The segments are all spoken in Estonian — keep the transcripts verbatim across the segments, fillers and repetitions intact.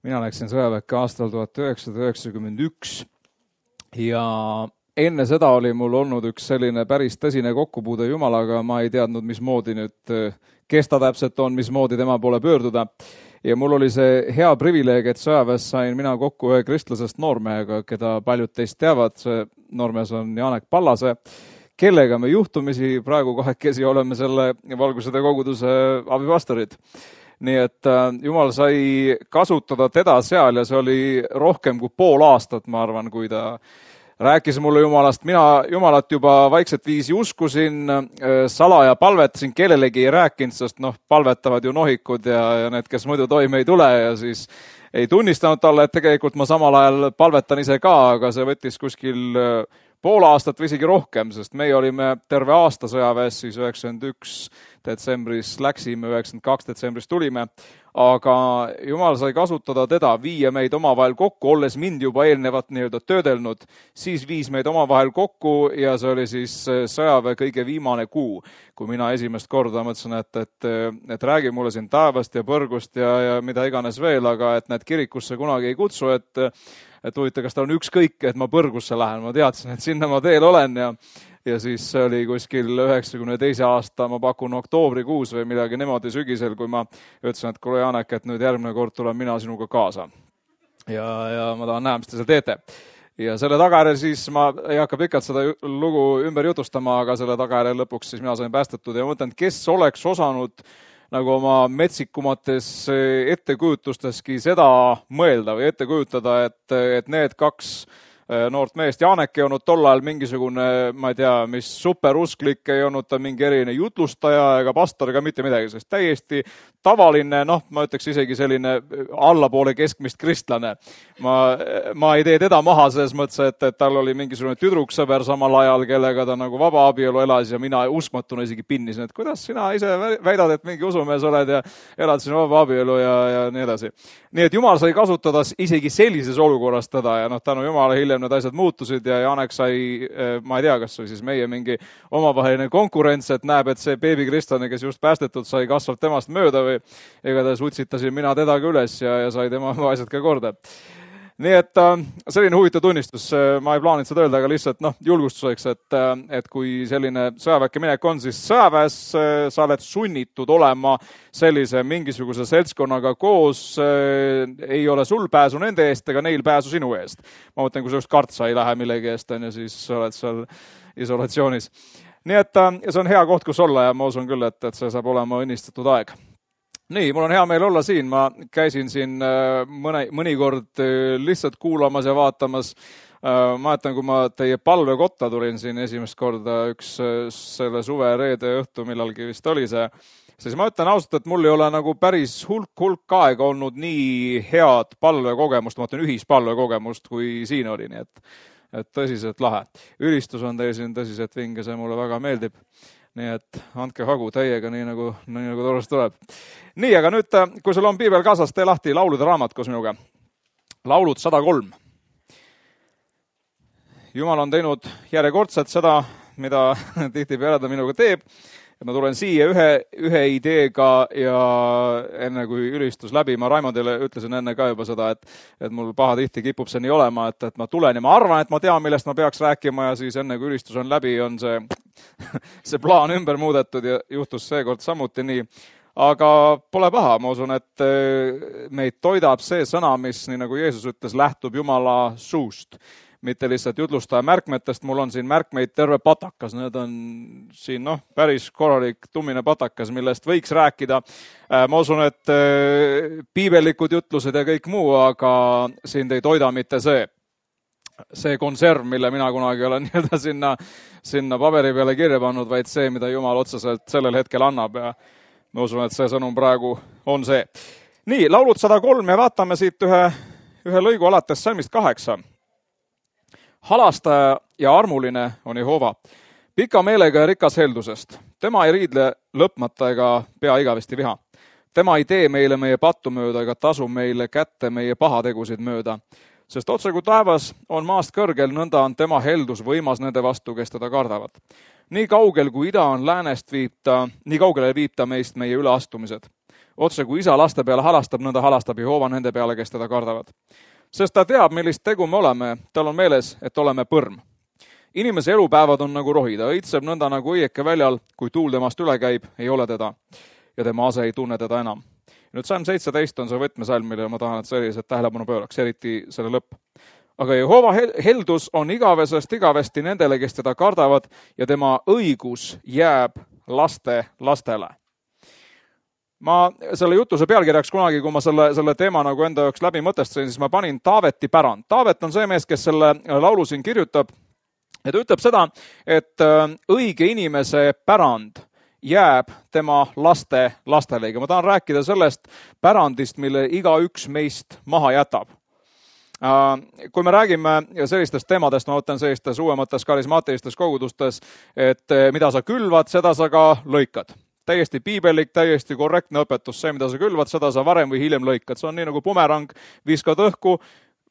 Mina läksin sõjaväkke aastal tuhat üheksasada üheksakümmend üks ja enne seda oli mul olnud üks selline päris tõsine kokkupuude Jumalaga, ma ei teadnud, mismoodi nüüd, kes ta täpselt on, mismoodi tema poole pöörduda. Ja mul oli see hea privileeg, et sõjaväes sain mina kokku ühe kristlasest noormehega, keda paljud teist teavad. See noormees on Janek Pallase, kellega me juhtumisi praegu kahekesi oleme selle Valgusede koguduse abipastorid. Nii et Jumal sai kasutada teda seal ja see oli rohkem kui pool aastat, ma arvan, kui ta rääkis mulle Jumalast. Mina Jumalat juba vaikset viisi uskusin, salaja palvetasin, kellelegi ei rääkinud, sest noh, palvetavad ju nohikud ja, ja need, kes muidu toime ei tule ja siis ei tunnistanud talle, et tegelikult ma samal ajal palvetan ise ka, aga see võttis kuskil pool aastat või isegi rohkem, sest meie olime terve aasta sõjaväes, siis üheksakümmend üks detsembris läksime, üheksakümmend kaks detsembris tulime, aga Jumal sai kasutada teda, viia meid omavahel kokku, olles mind juba eelnevat nii-öelda töödelnud, siis viis meid omavahel kokku ja see oli siis sõjaväe kõige viimane kuu, kui mina esimest korda mõtlesin, et, et, et räägi mulle siin taevast ja põrgust ja, ja mida iganes veel, aga et need kirikusse kunagi ei kutsu, et et huvita, kas ta on ükskõik, et ma põrgusse lähen. Ma teadsin, et sinna ma teel olen ja, ja siis see oli kuskil üheksakümne teise aasta, ma pakun oktoobrikuus või midagi niimoodi sügisel, kui ma ütlesin, et kuule Janek, et nüüd järgmine kord tulen mina sinuga kaasa. Ja, ja ma tahan näha, mis te seal teete. Ja selle tagajärjel siis ma ei hakka pikalt seda lugu ümber jutustama, aga selle tagajärjel lõpuks siis mina sain päästetud ja mõtlen, kes oleks osanud nagu oma metsikumates ettekujutustestki seda mõelda või ette kujutada, et, et need kaks noort meest, Janek ei olnud tol ajal mingisugune, ma ei tea, mis superusklik, ei olnud ta mingi eriline jutlustaja ega pastor ega mitte midagi, sest täiesti tavaline, noh, ma ütleks isegi selline allapoole keskmist kristlane. Ma, ma ei tee teda maha selles mõttes, et, et tal oli mingisugune tüdruksõber samal ajal, kellega ta nagu vaba abielu elas ja mina uskmatuna isegi pinnisin, et kuidas sina ise väidad, et mingi usumees oled ja elad siin vaba abielu ja, ja nii edasi. Nii et Jumal sai kasutada isegi sellises olukorras teda ja noh, tänu Jumala hiljem need asjad muutusid ja Janek sai, ma ei tea, kas oli siis meie mingi omavaheline konkurents, et näeb, et see beebikristlane, kes just päästetud sai, kasvab temast mööda või igatahes utsitasin mina teda ka üles ja, ja sai tema asjad ka korda. Nii et selline huvitav tunnistus, ma ei plaaninud seda öelda, aga lihtsalt noh, julgustuseks, et, et kui selline sõjaväkke minek on, siis sõjaväes sa oled sunnitud olema sellise mingisuguse seltskonnaga koos, ei ole sul pääsu nende eest ega neil pääsu sinu eest. Ma mõtlen, kui sa just kartsa ei lähe millegi eest, on ja siis oled seal isolatsioonis. Nii et see on hea koht, kus olla ja ma usun küll, et, et see saab olema õnnistatud aeg. Nii, mul on hea meel olla siin, ma käisin siin mõne, mõnikord lihtsalt kuulamas ja vaatamas. Ma mäletan, kui ma teie palvekotta tulin siin esimest korda üks selle suve reede õhtu, millalgi vist oli see, siis ma ütlen ausalt, et mul ei ole nagu päris hulk, hulk aega olnud nii head palvekogemust, ma ütlen ühispalvekogemust, kui siin oli, nii et, et tõsiselt lahe. Ülistus on teil siin tõsiselt vinge, see mulle väga meeldib. Nii et andke hagu täiega, nii nagu, nii nagu torust tuleb. Nii, aga nüüd, kui sul on piibel kaasas, tee lahti laulude raamat koos minuga. Laulud sada kolm. Jumal on teinud järjekordselt seda, mida tihtipeale ta minuga teeb. Ma tulen siia ühe, ühe ideega ja enne kui ülistus läbi, ma Raimondile ütlesin enne ka juba seda, et, et mul paha tihti kipub see nii olema, et, et ma tulen ja ma arvan, et ma tean, millest ma peaks rääkima ja siis enne kui ülistus on läbi, on see, see plaan ümber muudetud ja juhtus seekord samuti nii. Aga pole paha, ma usun, et meid toidab see sõna, mis, nii nagu Jeesus ütles, lähtub Jumala suust. Mitte lihtsalt jutlustaja märkmetest, mul on siin märkmeid terve patakas, need on siin noh, päris korralik tummine patakas, millest võiks rääkida. Ma usun, et piibellikud jutlused ja kõik muu, aga siin ei toida mitte see, see konserv, mille mina kunagi olen nii-öelda sinna, sinna paberi peale kirja pannud, vaid see, mida Jumal otseselt sellel hetkel annab ja ma usun, et see sõnum praegu on see. Nii, laulud sada kolm ja vaatame siit ühe, ühe lõigu alates salmist kaheksa. Halastaja ja armuline on Jehova, pika meelega ja rikas heldusest. Tema ei riidle lõpmata ega pea igavesti viha. Tema ei tee meile meie pattu mööda ega tasu meile kätte meie pahategusid mööda. Sest otse kui taevas on maast kõrgel, nõnda on tema heldus võimas nende vastu, kes teda kardavad. Nii kaugel kui ida on läänest viib ta, nii kaugele viib ta meist meie üleastumised. otse kui isa laste peale halastab, nõnda halastab Jehova nende peale, kes teda kardavad. Sest ta teab, millist tegu me oleme, tal on meeles, et oleme põrm. Inimese elupäevad on nagu rohi, ta õitseb nõnda nagu õieke väljal, kui tuul temast üle käib, ei ole teda ja tema ase ei tunne teda enam. Nüüd salm seitseteist on see võtmesalm, mille ma tahan, et sellised tähelepanu pööraks, eriti selle lõpp. Aga Jehova heldus on igavesest igavesti nendele, kes teda kardavad ja tema õigus jääb laste lastele. Ma selle jutuse pealkirjaks kunagi, kui ma selle, selle teema nagu enda jaoks läbi mõtestasin, siis ma panin Taaveti pärand. Taavet on see mees, kes selle laulu siin kirjutab ja ta ütleb seda, et õige inimese pärand jääb tema laste lastele. Ma tahan rääkida sellest pärandist, mille igaüks meist maha jätab. Kui me räägime sellistest teemadest, ma mõtlen sellistes uuemates karismaatilistes kogudustes, et mida sa külvad, seda sa ka lõikad. Täiesti piibelik, täiesti korrektne õpetus. See, mida sa külvad, seda sa varem või hiljem lõikad. See on nii nagu bumerang, viskad õhku,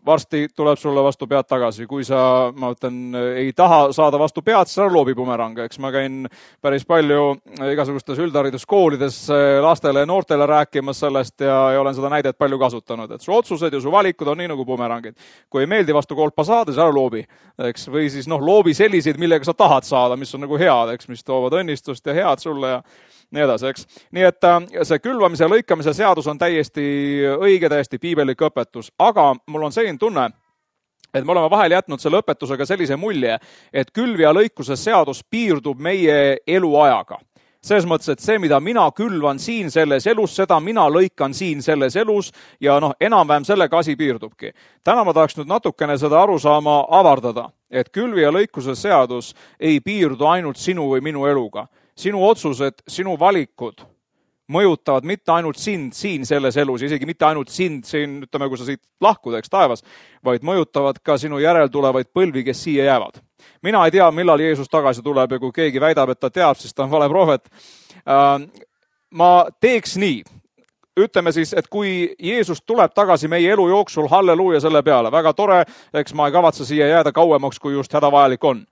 varsti tuleb sulle vastu pead tagasi. Kui sa, ma ütlen, ei taha saada vastu pead, siis ära loobi bumerang. Eks ma käin päris palju igasugustes üldhariduskoolides lastele ja noortele rääkimas sellest ja, ja olen seda näidet palju kasutanud. Et su otsused ja su valikud on nii nagu bumerangid. Kui ei meeldi vastu kolpa saada, siis ära loobi. Eks, või siis noh, loobi selliseid, millega sa tahad saada, mis on nagu head, eks, mis toovad õnnistust ja head sulle ja nii edasi, eks. Nii et see külvamise ja lõikamise seadus on täiesti õige, täiesti piibelik õpetus, aga mul on selline tunne, et me oleme vahel jätnud selle õpetusega sellise mulje, et külv- ja lõikuse seadus piirdub meie eluajaga. Selles mõttes, et see, mida mina külvan siin selles elus, seda mina lõikan siin selles elus ja noh, enam-vähem sellega asi piirdubki. Täna ma tahaks nüüd natukene seda arusaama avardada, et külvi- ja lõikuse seadus ei piirdu ainult sinu või minu eluga. Sinu otsused, sinu valikud mõjutavad mitte ainult sind siin selles elus, isegi mitte ainult sind siin, ütleme, kui sa siit lahkud, eks taevas, vaid mõjutavad ka sinu järeltulevaid põlvi, kes siia jäävad. Mina ei tea, millal Jeesus tagasi tuleb ja kui keegi väidab, et ta teab, siis ta on vale prohvet. Ma teeks nii. Ütleme siis, et kui Jeesus tuleb tagasi meie elu jooksul, halleluuja selle peale, väga tore, eks ma ei kavatse siia jääda kauemaks, kui just hädavajalik on.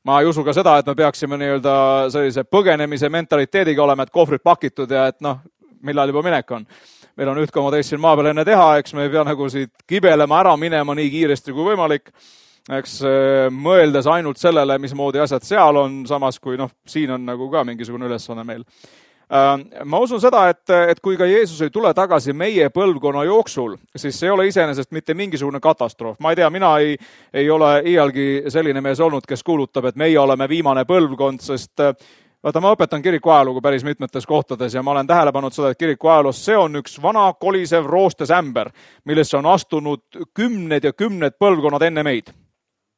Ma ei usu ka seda, et me peaksime nii-öelda sellise põgenemise mentaliteediga olema, et kohvrid pakitud ja et noh, millal juba minek on. Meil on üht koma teist siin maa peal enne teha, eks me ei pea nagu siit kibelema ära minema nii kiiresti kui võimalik. Eks mõeldes ainult sellele, mismoodi asjad seal on, samas kui noh, siin on nagu ka mingisugune ülesanne meil. Ma usun seda, et, et kui ka Jeesus ei tule tagasi meie põlvkonna jooksul, siis see ei ole iseenesest mitte mingisugune katastroof. Ma ei tea, mina ei, ei ole iialgi selline mees olnud, kes kuulutab, et meie oleme viimane põlvkond, sest vaata, ma õpetan kiriku ajalugu päris mitmetes kohtades ja ma olen tähele pannud seda, et kiriku ajaloos see on üks vana kolisev roostesämber, millesse on astunud kümned ja kümned põlvkonnad enne meid.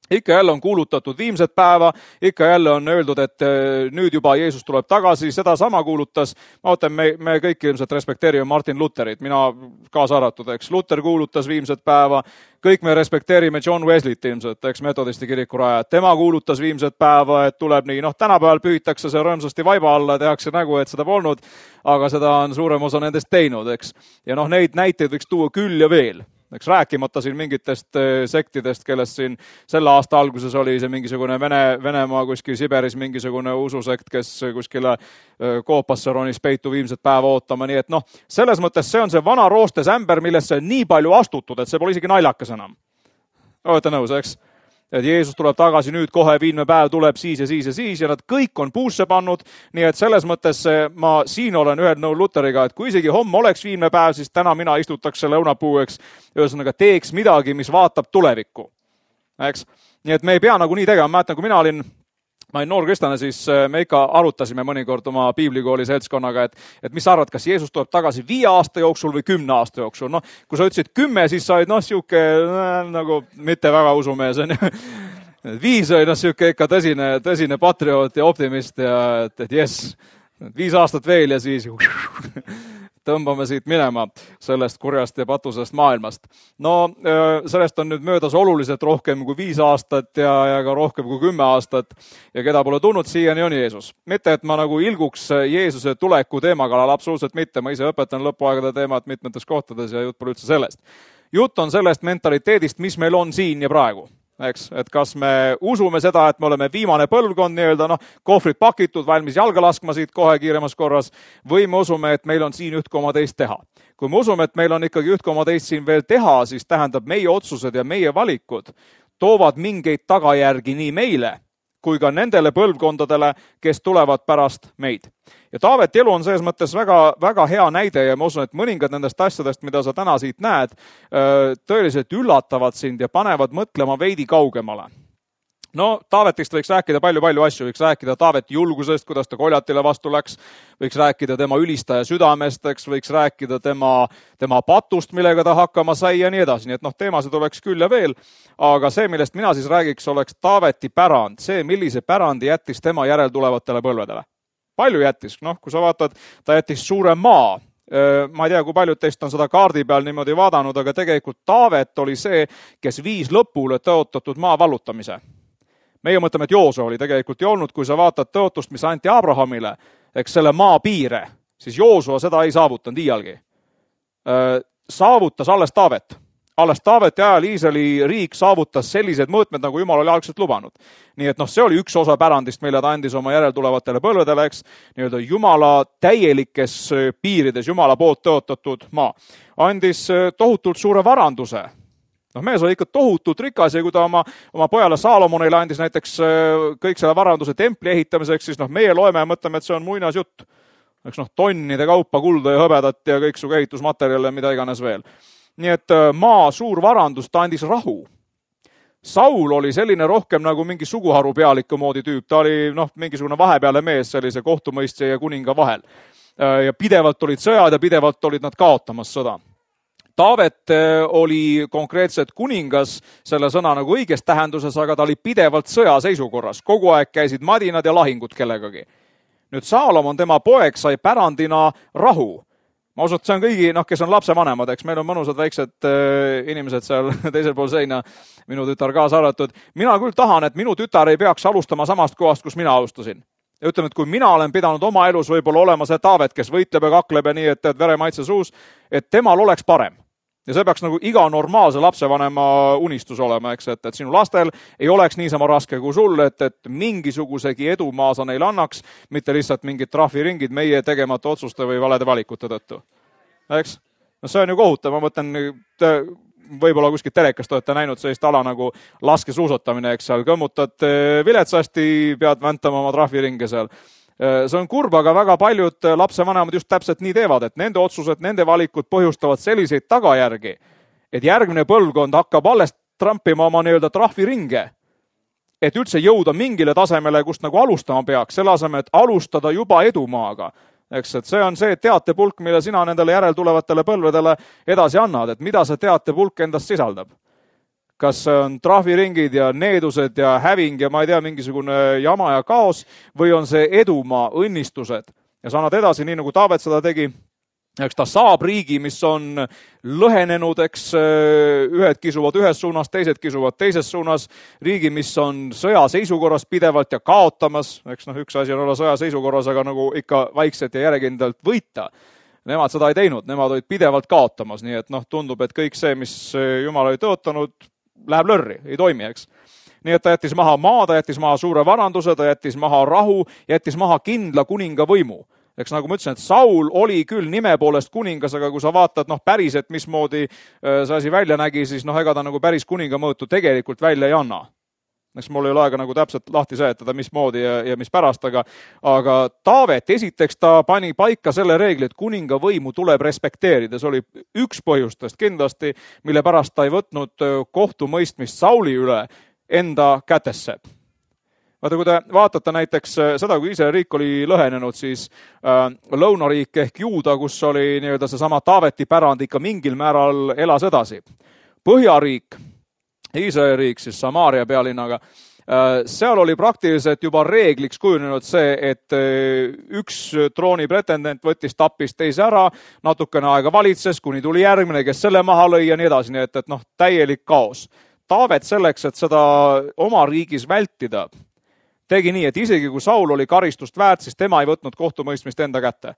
Ikka jälle on kuulutatud viimset päeva, ikka jälle on öeldud, et nüüd juba Jeesus tuleb tagasi, seda sama kuulutas, ma mõtlen, me, me kõik ilmselt respekteerime Martin Lutherit, mina kaasa arvatud, eks, Luther kuulutas viimset päeva, kõik me respekteerime John Wesleyt ilmselt, eks, metodisti kiriku rajad, tema kuulutas viimset päeva, et tuleb nii, noh, tänapäeval pühitakse see rõõmsasti vaiba alla, tehakse nägu, et seda polnud, aga seda on suurem osa nendest teinud, eks, ja noh, neid näiteid võiks tuua küll ja veel. Eks rääkimata siin mingitest sektidest, kellest siin selle aasta alguses oli see mingisugune Vene, Venemaa kuskil Siberis mingisugune ususekt, kes kuskile koopasse ronis peitu viimset päeva ootama. Nii et noh, selles mõttes see on see vana roostesämber, millesse on nii palju astutud, et see pole isegi naljakas enam. Olete nõus, eks? Et Jeesus tuleb tagasi nüüd, kohe viimne päev tuleb siis ja siis ja siis ja nad kõik on puusse pannud, nii et selles mõttes ma siin olen ühel nõul Luteriga, et kui isegi homme oleks viimne päev, siis täna mina istutaks selle õunapuueks, ühesõnaga teeks midagi, mis vaatab tulevikku. Eks? Nii et me ei pea nagu nii tegema, mäletan, kui mina olin Ma olin noor kristlane, siis me ikka arutasime mõnikord oma piiblikooli seltskonnaga, et, et mis sa arvad, kas Jeesus tuleb tagasi viie aasta jooksul või kümne aasta jooksul. No, kui sa ütlesid kümme, siis sa olid noh, siuke nagu mitte väga usumees. Viis oli noh, siuke ikka tõsine, tõsine patrioot ja optimist ja et, et jess, viis aastat veel ja siis tõmbame siit minema sellest kurjast ja patusest maailmast. No sellest on nüüd möödas oluliselt rohkem kui viis aastat ja, ja ka rohkem kui kümme aastat ja keda pole tulnud siiani on Jeesus. Mitte, et ma nagu ilguks Jeesuse tuleku teema kallal, absoluutselt mitte. Ma ise õpetan lõpuaegade teemat mitmetes kohtades ja jutt pole üldse sellest. Jutt on sellest mentaliteedist, mis meil on siin ja praegu. eks, et kas me usume seda, et me oleme viimane põlvkond nii-öelda, noh, kohvrid pakitud, valmis jalga laskma siit kohe kiiremas korras, või me usume, et meil on siin üht koma teist teha. Kui me usume, et meil on ikkagi üht koma teist siin veel teha, siis tähendab meie otsused ja meie valikud toovad mingeid tagajärgi nii meile, kui ka nendele põlvkondadele, kes tulevad pärast meid. Ja Taaveti elu on selles mõttes väga, väga hea näide ja ma usun, et mõningad nendest asjadest, mida sa täna siit näed, tõeliselt üllatavad sind ja panevad mõtlema veidi kaugemale. No, Taavetist võiks rääkida palju-palju asju, võiks rääkida Taaveti julgusest, kuidas ta Koljatile vastu läks, võiks rääkida tema ülistaja südamest, eks, võiks rääkida tema, tema patust, millega ta hakkama sai ja nii edasi. Nii et noh, teemasid oleks küll ja veel, aga see, millest mina siis räägiks, oleks Taaveti pärand, see, millise pärandi jättis tema järeltulevatele põlvedele. Palju jättis, noh, kui sa vaatad, ta jättis suure maa. Ma ei tea, kui paljud teist on seda kaardi peal niimoodi vaadanud, aga tegelikult Taavet oli see, kes viis lõpule tõotatud maa vallutamise. Meie mõtleme, et Joosua oli tegelikult ju olnud, kui sa vaatad tõotust, mis anti Abrahamile, eks selle maa piire, siis Joosua seda ei saavutanud iialgi. Saavutas alles Taavet. Alles Taaveti ajal Iisraeli riik saavutas sellised mõõtmed, nagu Jumal oli algselt lubanud. Nii et noh, see oli üks osa pärandist, mille ta andis oma järeltulevatele põlvedele, eks, nii-öelda Jumala täielikes piirides, Jumala poolt tõotatud maa. Andis tohutult suure varanduse. Noh, mees oli ikka tohutult rikas ja kui ta oma, oma pojale Saalomonile andis näiteks kõik selle varanduse templi ehitamiseks, siis noh, meie loeme ja mõtleme, et see on muinas jutt. Eks noh, tonnide kaupa kulda ja hõbedat ja kõik su ehitusmaterjale, mida iganes veel. Nii et maa suur varandus, ta andis rahu. Saul oli selline rohkem nagu mingi suguharu pealiku moodi tüüp. Ta oli noh, mingisugune vahepeale mees sellise kohtumõistja ja kuninga vahel. Ja pidevalt olid sõjad ja pidevalt olid nad kaotamas sõda. Taavet oli konkreetselt kuningas selle sõna nagu õiges tähenduses, aga ta oli pidevalt sõjaseisukorras. Kogu aeg käisid madinad ja lahingud kellegagi. Nüüd Saalomon, tema poeg, sai pärandina rahu. Ma usun, et see on kõigi, noh, kes on lapsevanemad, eks meil on mõnusad väiksed äh, inimesed seal teisel pool seina, minu tütar kaasa arvatud. Mina küll tahan, et minu tütar ei peaks alustama samast kohast, kus mina alustasin. Ja ütleme, et kui mina olen pidanud oma elus võib-olla olema see Taavet, kes võitleb ja kakleb ja nii, et, et veremaitse suus, et temal oleks parem. Ja see peaks nagu iga normaalse lapsevanema unistus olema, eks, et, et sinu lastel ei oleks niisama raske kui sul, et, et mingisugusegi edumaa sa neile annaks, mitte lihtsalt mingid trahviringid meie tegemata otsuste või valede valikute tõttu. Eks? No see on ju kohutav, ma mõtlen, võib-olla kuskil telekast olete näinud sellist ala nagu laskesuusatamine, eks seal kõmmutad viletsasti, pead väntama oma trahviringe seal. See on kurb, aga väga paljud lapsevanemad just täpselt nii teevad, et nende otsused, nende valikud põhjustavad selliseid tagajärgi, et järgmine põlvkond hakkab alles trampima oma nii-öelda trahviringe, et üldse jõuda mingile tasemele, kust nagu alustama peaks, selle asemel, et alustada juba edumaaga. Eks, et see on see teatepulk, mille sina nendele järeltulevatele põlvedele edasi annad, et mida see teatepulk endast sisaldab. Kas on trahviringid ja needused ja häving ja ma ei tea, mingisugune jama ja kaos või on see edumaa, õnnistused. Ja sa annad edasi, nii nagu Taavet seda tegi, eks ta saab riigi, mis on lõhenenud, eks ühed kisuvad ühes suunas, teised kisuvad teises suunas, riigi, mis on sõjaseisukorras pidevalt ja kaotamas, eks noh, üks asi on olla sõjaseisukorras, aga nagu ikka vaikselt ja järjekindlalt võita. Nemad seda ei teinud, nemad olid pidevalt kaotamas, nii et noh, tundub, et kõik see, mis Jumal oli tõotanud, läheb lörri, ei toimi, eks. Nii et ta jättis maha maa, ta jättis maha suure varanduse, ta jättis maha rahu, jättis maha kindla kuninga võimu. Eks nagu ma ütlesin, et Saul oli küll nime poolest kuningas, aga kui sa vaatad noh, päris, et mismoodi see asi välja nägi, siis noh, ega ta nagu päris kuninga mõõtu tegelikult välja ei anna. Eks mul ei ole aega nagu täpselt lahti seletada, mismoodi ja, ja mis pärast, aga, aga Taavet, esiteks ta pani paika selle reegli, et kuninga võimu tuleb respekteerida. See oli üks põhjustest kindlasti, mille pärast ta ei võtnud kohtumõistmist Sauli üle enda kätesse. Vaata, kui te vaatate näiteks seda, kui Iisraeli riik oli lõhenenud, siis äh, lõunariik ehk Juuda, kus oli nii-öelda seesama Taaveti pärand ikka mingil määral elas edasi. Põhjariik, Iisraeli riik, siis Samaaria pealinnaga, seal oli praktiliselt juba reegliks kujunenud see, et üks trooni pretendent võttis tappis teise ära, natukene aega valitses, kuni tuli järgmine, kes selle maha lõi ja nii edasi, nii et, et noh, täielik kaos. Taavet selleks, et seda oma riigis vältida, tegi nii, et isegi kui Saul oli karistust väärt, siis tema ei võtnud kohtumõistmist enda kätte.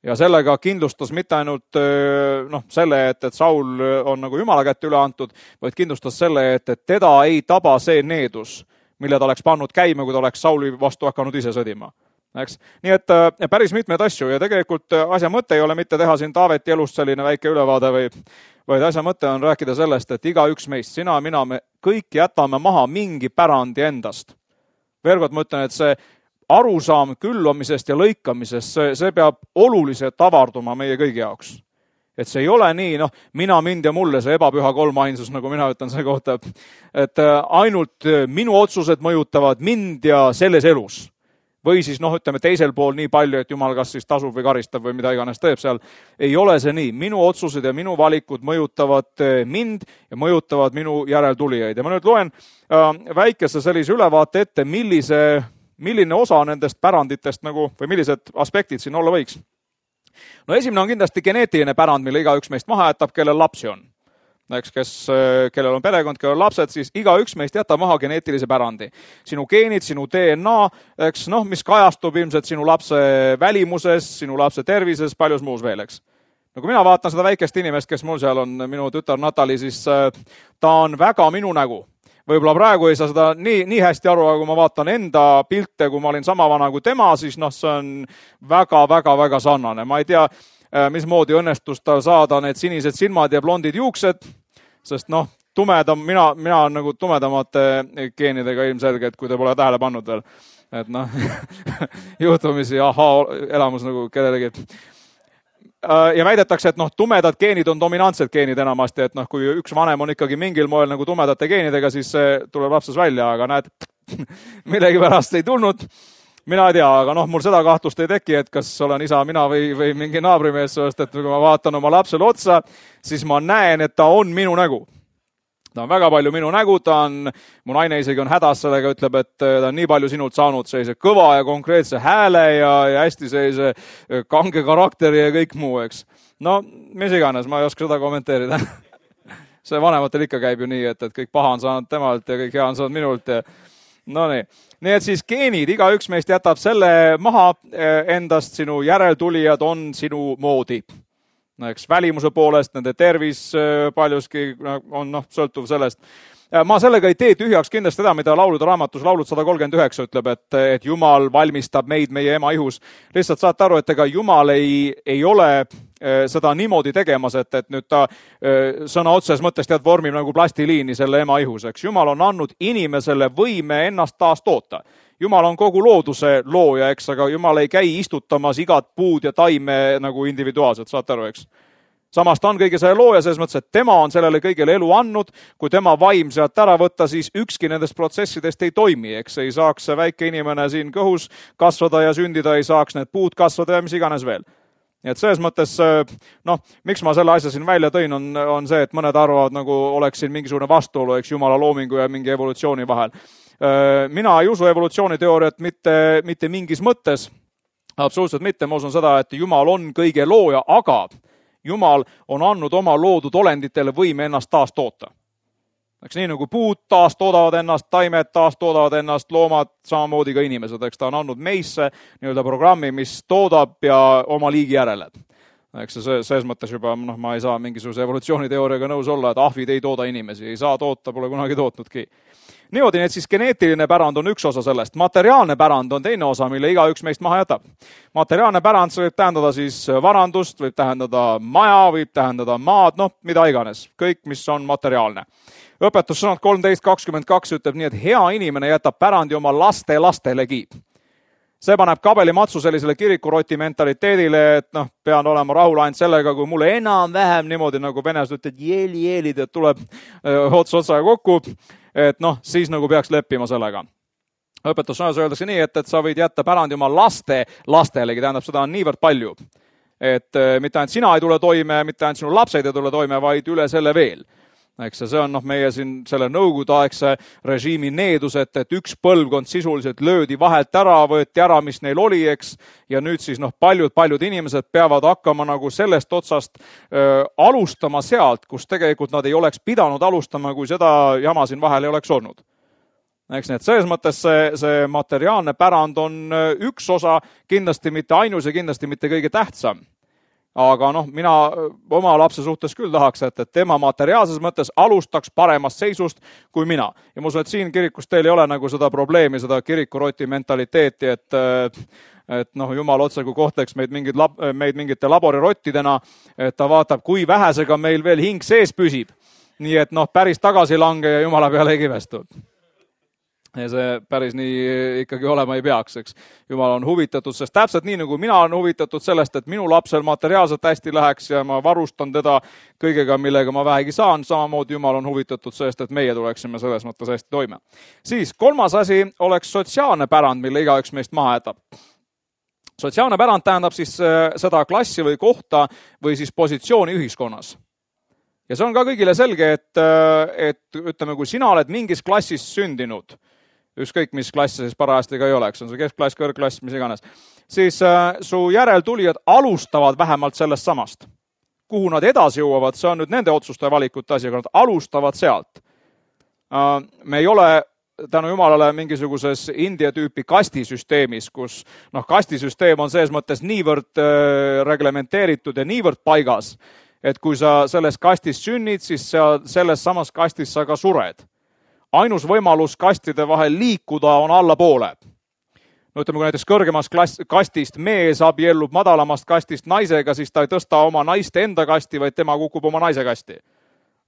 ja sellega kindlustas mitte ainult noh, selle, et, et Saul on nagu Jumala kätte üle antud, vaid kindlustas selle, et, et teda ei taba see needus, mille ta oleks pannud käima, kui ta oleks Sauli vastu hakanud ise sõdima. Eks? Nii et päris mitmeid asju ja tegelikult asja mõte ei ole mitte teha siin Taaveti elust selline väike ülevaade, või, vaid asja mõte on rääkida sellest, et iga üks meist, sina ja mina, me kõik jätame maha mingi pärandi endast. Veel kord mõtlen, et see arusaam külvamisest ja lõikamisest, see, see peab oluliselt avarduma meie kõigi jaoks. Et see ei ole nii, noh, mina, mind ja mulle, see ebapüha kolmainsus, nagu mina ütlen selle kohta, et ainult minu otsused mõjutavad mind ja selles elus. Või siis, noh, ütleme teisel pool nii palju, et Jumal kas siis tasub või karistab või mida iganes teeb seal. Ei ole see nii. Minu otsused ja minu valikud mõjutavad mind ja mõjutavad minu järeltulijaid. Ja ma nüüd loen väikese sellise ülevaate ette, millise milline osa nendest päranditest nagu, või millised aspektid siin olla võiks. No esimene on kindlasti geneetiline pärand, mille iga üks meist maha jätab, kellel lapsi on. Eks, kes, kellel on perekond, kellel on lapsed, siis iga üks meist jätab maha geneetilise pärandi. Sinu geenid, sinu D N A, eks, noh, mis kajastub ilmselt sinu lapse välimuses, sinu lapse tervises, paljus muus veel, eks. No kui mina vaatan seda väikest inimest, kes mul seal on, minu tütar Natali, siis ta on väga minu nägu. Võib-olla praegu ei saa seda nii, nii hästi aru, aga kui ma vaatan enda pilte, kui ma olin sama vana kui tema, siis noh, see on väga, väga, väga sarnane. Ma ei tea, mismoodi õnnestus tal saada need sinised silmad ja blondid juuksed, sest noh, tumedam, mina, mina on nagu tumedamate geenidega ilmselgelt, kui te pole tähele pannud veel. Et noh, juhtumisi ahaa elamus nagu kellelegi. Ja väidetakse, et noh, tumedad geenid on dominantsed geenid enamasti, et noh, kui üks vanem on ikkagi mingil moel nagu tumedate geenidega, siis see tuleb lapses välja, aga näed, millegi pärast ei tulnud. Mina ei tea, aga noh, mul seda kahtlust ei teki, et kas olen isa, mina või, või mingi naabrimees, sest et kui ma vaatan oma lapsele otsa, siis ma näen, et ta on minu nägu. Ta on väga palju minu nägu, ta on, mu naine isegi on hädas sellega, ütleb, et ta on nii palju sinult saanud sellise kõva ja konkreetse hääle ja, ja hästi sellise kange karakteri ja kõik muu, eks. No, mis iganes, ma ei oska seda kommenteerida. See vanematel ikka käib ju nii, et, et kõik paha on saanud temalt ja kõik hea on saanud minult. Ja... No nii. Nii et siis geenid, iga üks meist jätab selle maha endast, sinu järeltulijad on sinu moodi. No, eks välimuse poolest, nende tervis paljuski on noh, sõltuv sellest. Ma sellega ei tee tühjaks kindlasti seda, mida laulude raamatus laulud sada kolmkümmend üheksa ütleb, et, et Jumal valmistab meid meie ema ihus. Lihtsalt saate aru, et ega Jumal ei, ei ole seda niimoodi tegemas, et, et nüüd ta sõna otses mõttes tead vormib nagu plastiliini selle ema ihus. Eks Jumal on andnud inimesele võime ennast taas toota. Jumal on kogu looduse looja, eks, aga Jumal ei käi istutamas igat puud ja taime nagu individuaalselt, saate aru, eks. Samas ta on kõige selle looja, selles mõttes, et tema on sellele kõigele elu andnud. Kui tema vaim sealt ära võtta, siis ükski nendest protsessidest ei toimi, eks ei saaks see väike inimene siin kõhus kasvada ja sündida, ei saaks need puud kasvada ja mis iganes veel. Nii et selles mõttes, noh, miks ma selle asja siin välja tõin, on, on see, et mõned arvavad, nagu oleks siin mingisugune vastuolu, eks Jumala loomingu ja mingi evolutsiooni vahel. Mina ei usu evolutsiooniteooriat mitte, mitte mingis mõttes, absoluutselt mitte, ma usun seda, et Jumal on kõige looja, aga Jumal on andnud oma loodud olenditele võime ennast taas toota. Eks nii nagu puud taas toodavad ennast, taimed taas toodavad ennast, loomad samamoodi ka inimesed, eks ta on andnud meisse nii-öelda programmi, mis toodab ja oma liigi järele. Eks see, selles mõttes juba, noh, ma ei saa mingisuguse evolutsiooniteooriaga nõus olla, et ahvid ei tooda inimesi, ei saa toota, pole kunagi tootnudki. Niimoodi, et siis geneetiline pärand on üks osa sellest. Materiaalne pärand on teine osa, mille iga üks meist maha jätab. Materiaalne pärand võib tähendada siis varandust, võib tähendada maja, võib tähendada maad, noh, mida iganes. Kõik, mis on materiaalne. Õpetussõnad kolmteist kakskümmend kaks ütleb nii, et hea inimene jätab pärandi oma laste lastelegi. See paneb kabelimatsu sellisele kirikuroti mentaliteedile, et noh, pean olema rahul ainult sellega, kui mulle enam vähem niimoodi nagu venes ütled jeeli jeelid, et tuleb ots otsaga kokku, et noh, siis nagu peaks leppima sellega. Õpetussõnas öeldakse nii, et, et sa võid jätta pärandi oma laste lastelegi, tähendab, seda on niivõrd palju. Et mitte ainult sina ei tule toime, mitte ainult sinu lapsed ei tule toime, vaid üle selle veel. Eks see on noh, meie siin selle nõukogudeaegse režiimi needus, et, et üks põlvkond sisuliselt löödi vahelt ära, võeti ära, mis neil oli, eks, ja nüüd siis noh, paljud, paljud inimesed peavad hakkama nagu sellest otsast öö, alustama sealt, kus tegelikult nad ei oleks pidanud alustama, kui seda jama siin vahel ei oleks olnud. Eks nii, et selles mõttes see, see materiaalne pärand on üks osa, kindlasti mitte ainus ja kindlasti mitte kõige tähtsam. aga noh, mina oma lapse suhtes küll tahaks, et, et tema materiaalses mõttes alustaks paremast seisust kui mina. Ja ma usun, et siin kirikus teil ei ole nagu seda probleemi, seda kirikuroti mentaliteeti, et, et noh, jumal otse kui kohtleks meid, mingid lab, meid mingite laborirottidena, et ta vaatab, kui vähesega meil veel hing sees püsib. Nii et noh, päris tagasi lange ja jumala peale ei kivestu. Ja see päris nii ikkagi olema ei peaks, eks. Jumal on huvitatud, sest täpselt nii nagu mina olen huvitatud sellest, et minu lapsel materiaalselt hästi läheks ja ma varustan teda kõigega, millega ma vähegi saan, samamoodi Jumal on huvitatud sellest, et meie tuleksime selles mõttes hästi toime. Siis kolmas asi oleks sotsiaalne pärand, mille igaüks meist maha jätab. Sotsiaalne pärand tähendab siis seda klassi või kohta või siis positsiooni ühiskonnas. Ja see on ka kõigile selge, et, et ütleme, kui sina oled mingis klassis sündinud, ükskõik mis klass siis parajasti ka ei oleks, on see keskklass, kõrgklass, mis iganes, siis äh, su järeltulijad alustavad vähemalt sellest samast. Kuhu nad edasi jõuavad, see on nüüd nende otsuste ja valikute asi, aga nad alustavad sealt. Äh, me ei ole tänu Jumalale mingisuguses India tüüpi kastisüsteemis, kus noh, kastisüsteem on selles mõttes niivõrd äh, reglementeeritud ja niivõrd paigas, et kui sa selles kastis sünnid, siis sa selles samas kastis sa ka sured. Ainus võimalus kastide vahel liikuda on allapoole. No ütleme, kui näiteks kõrgemast klass, kastist mees abiellub madalamast kastist naisega, siis ta ei tõsta oma naiste enda kasti, vaid tema kukub oma naise kasti.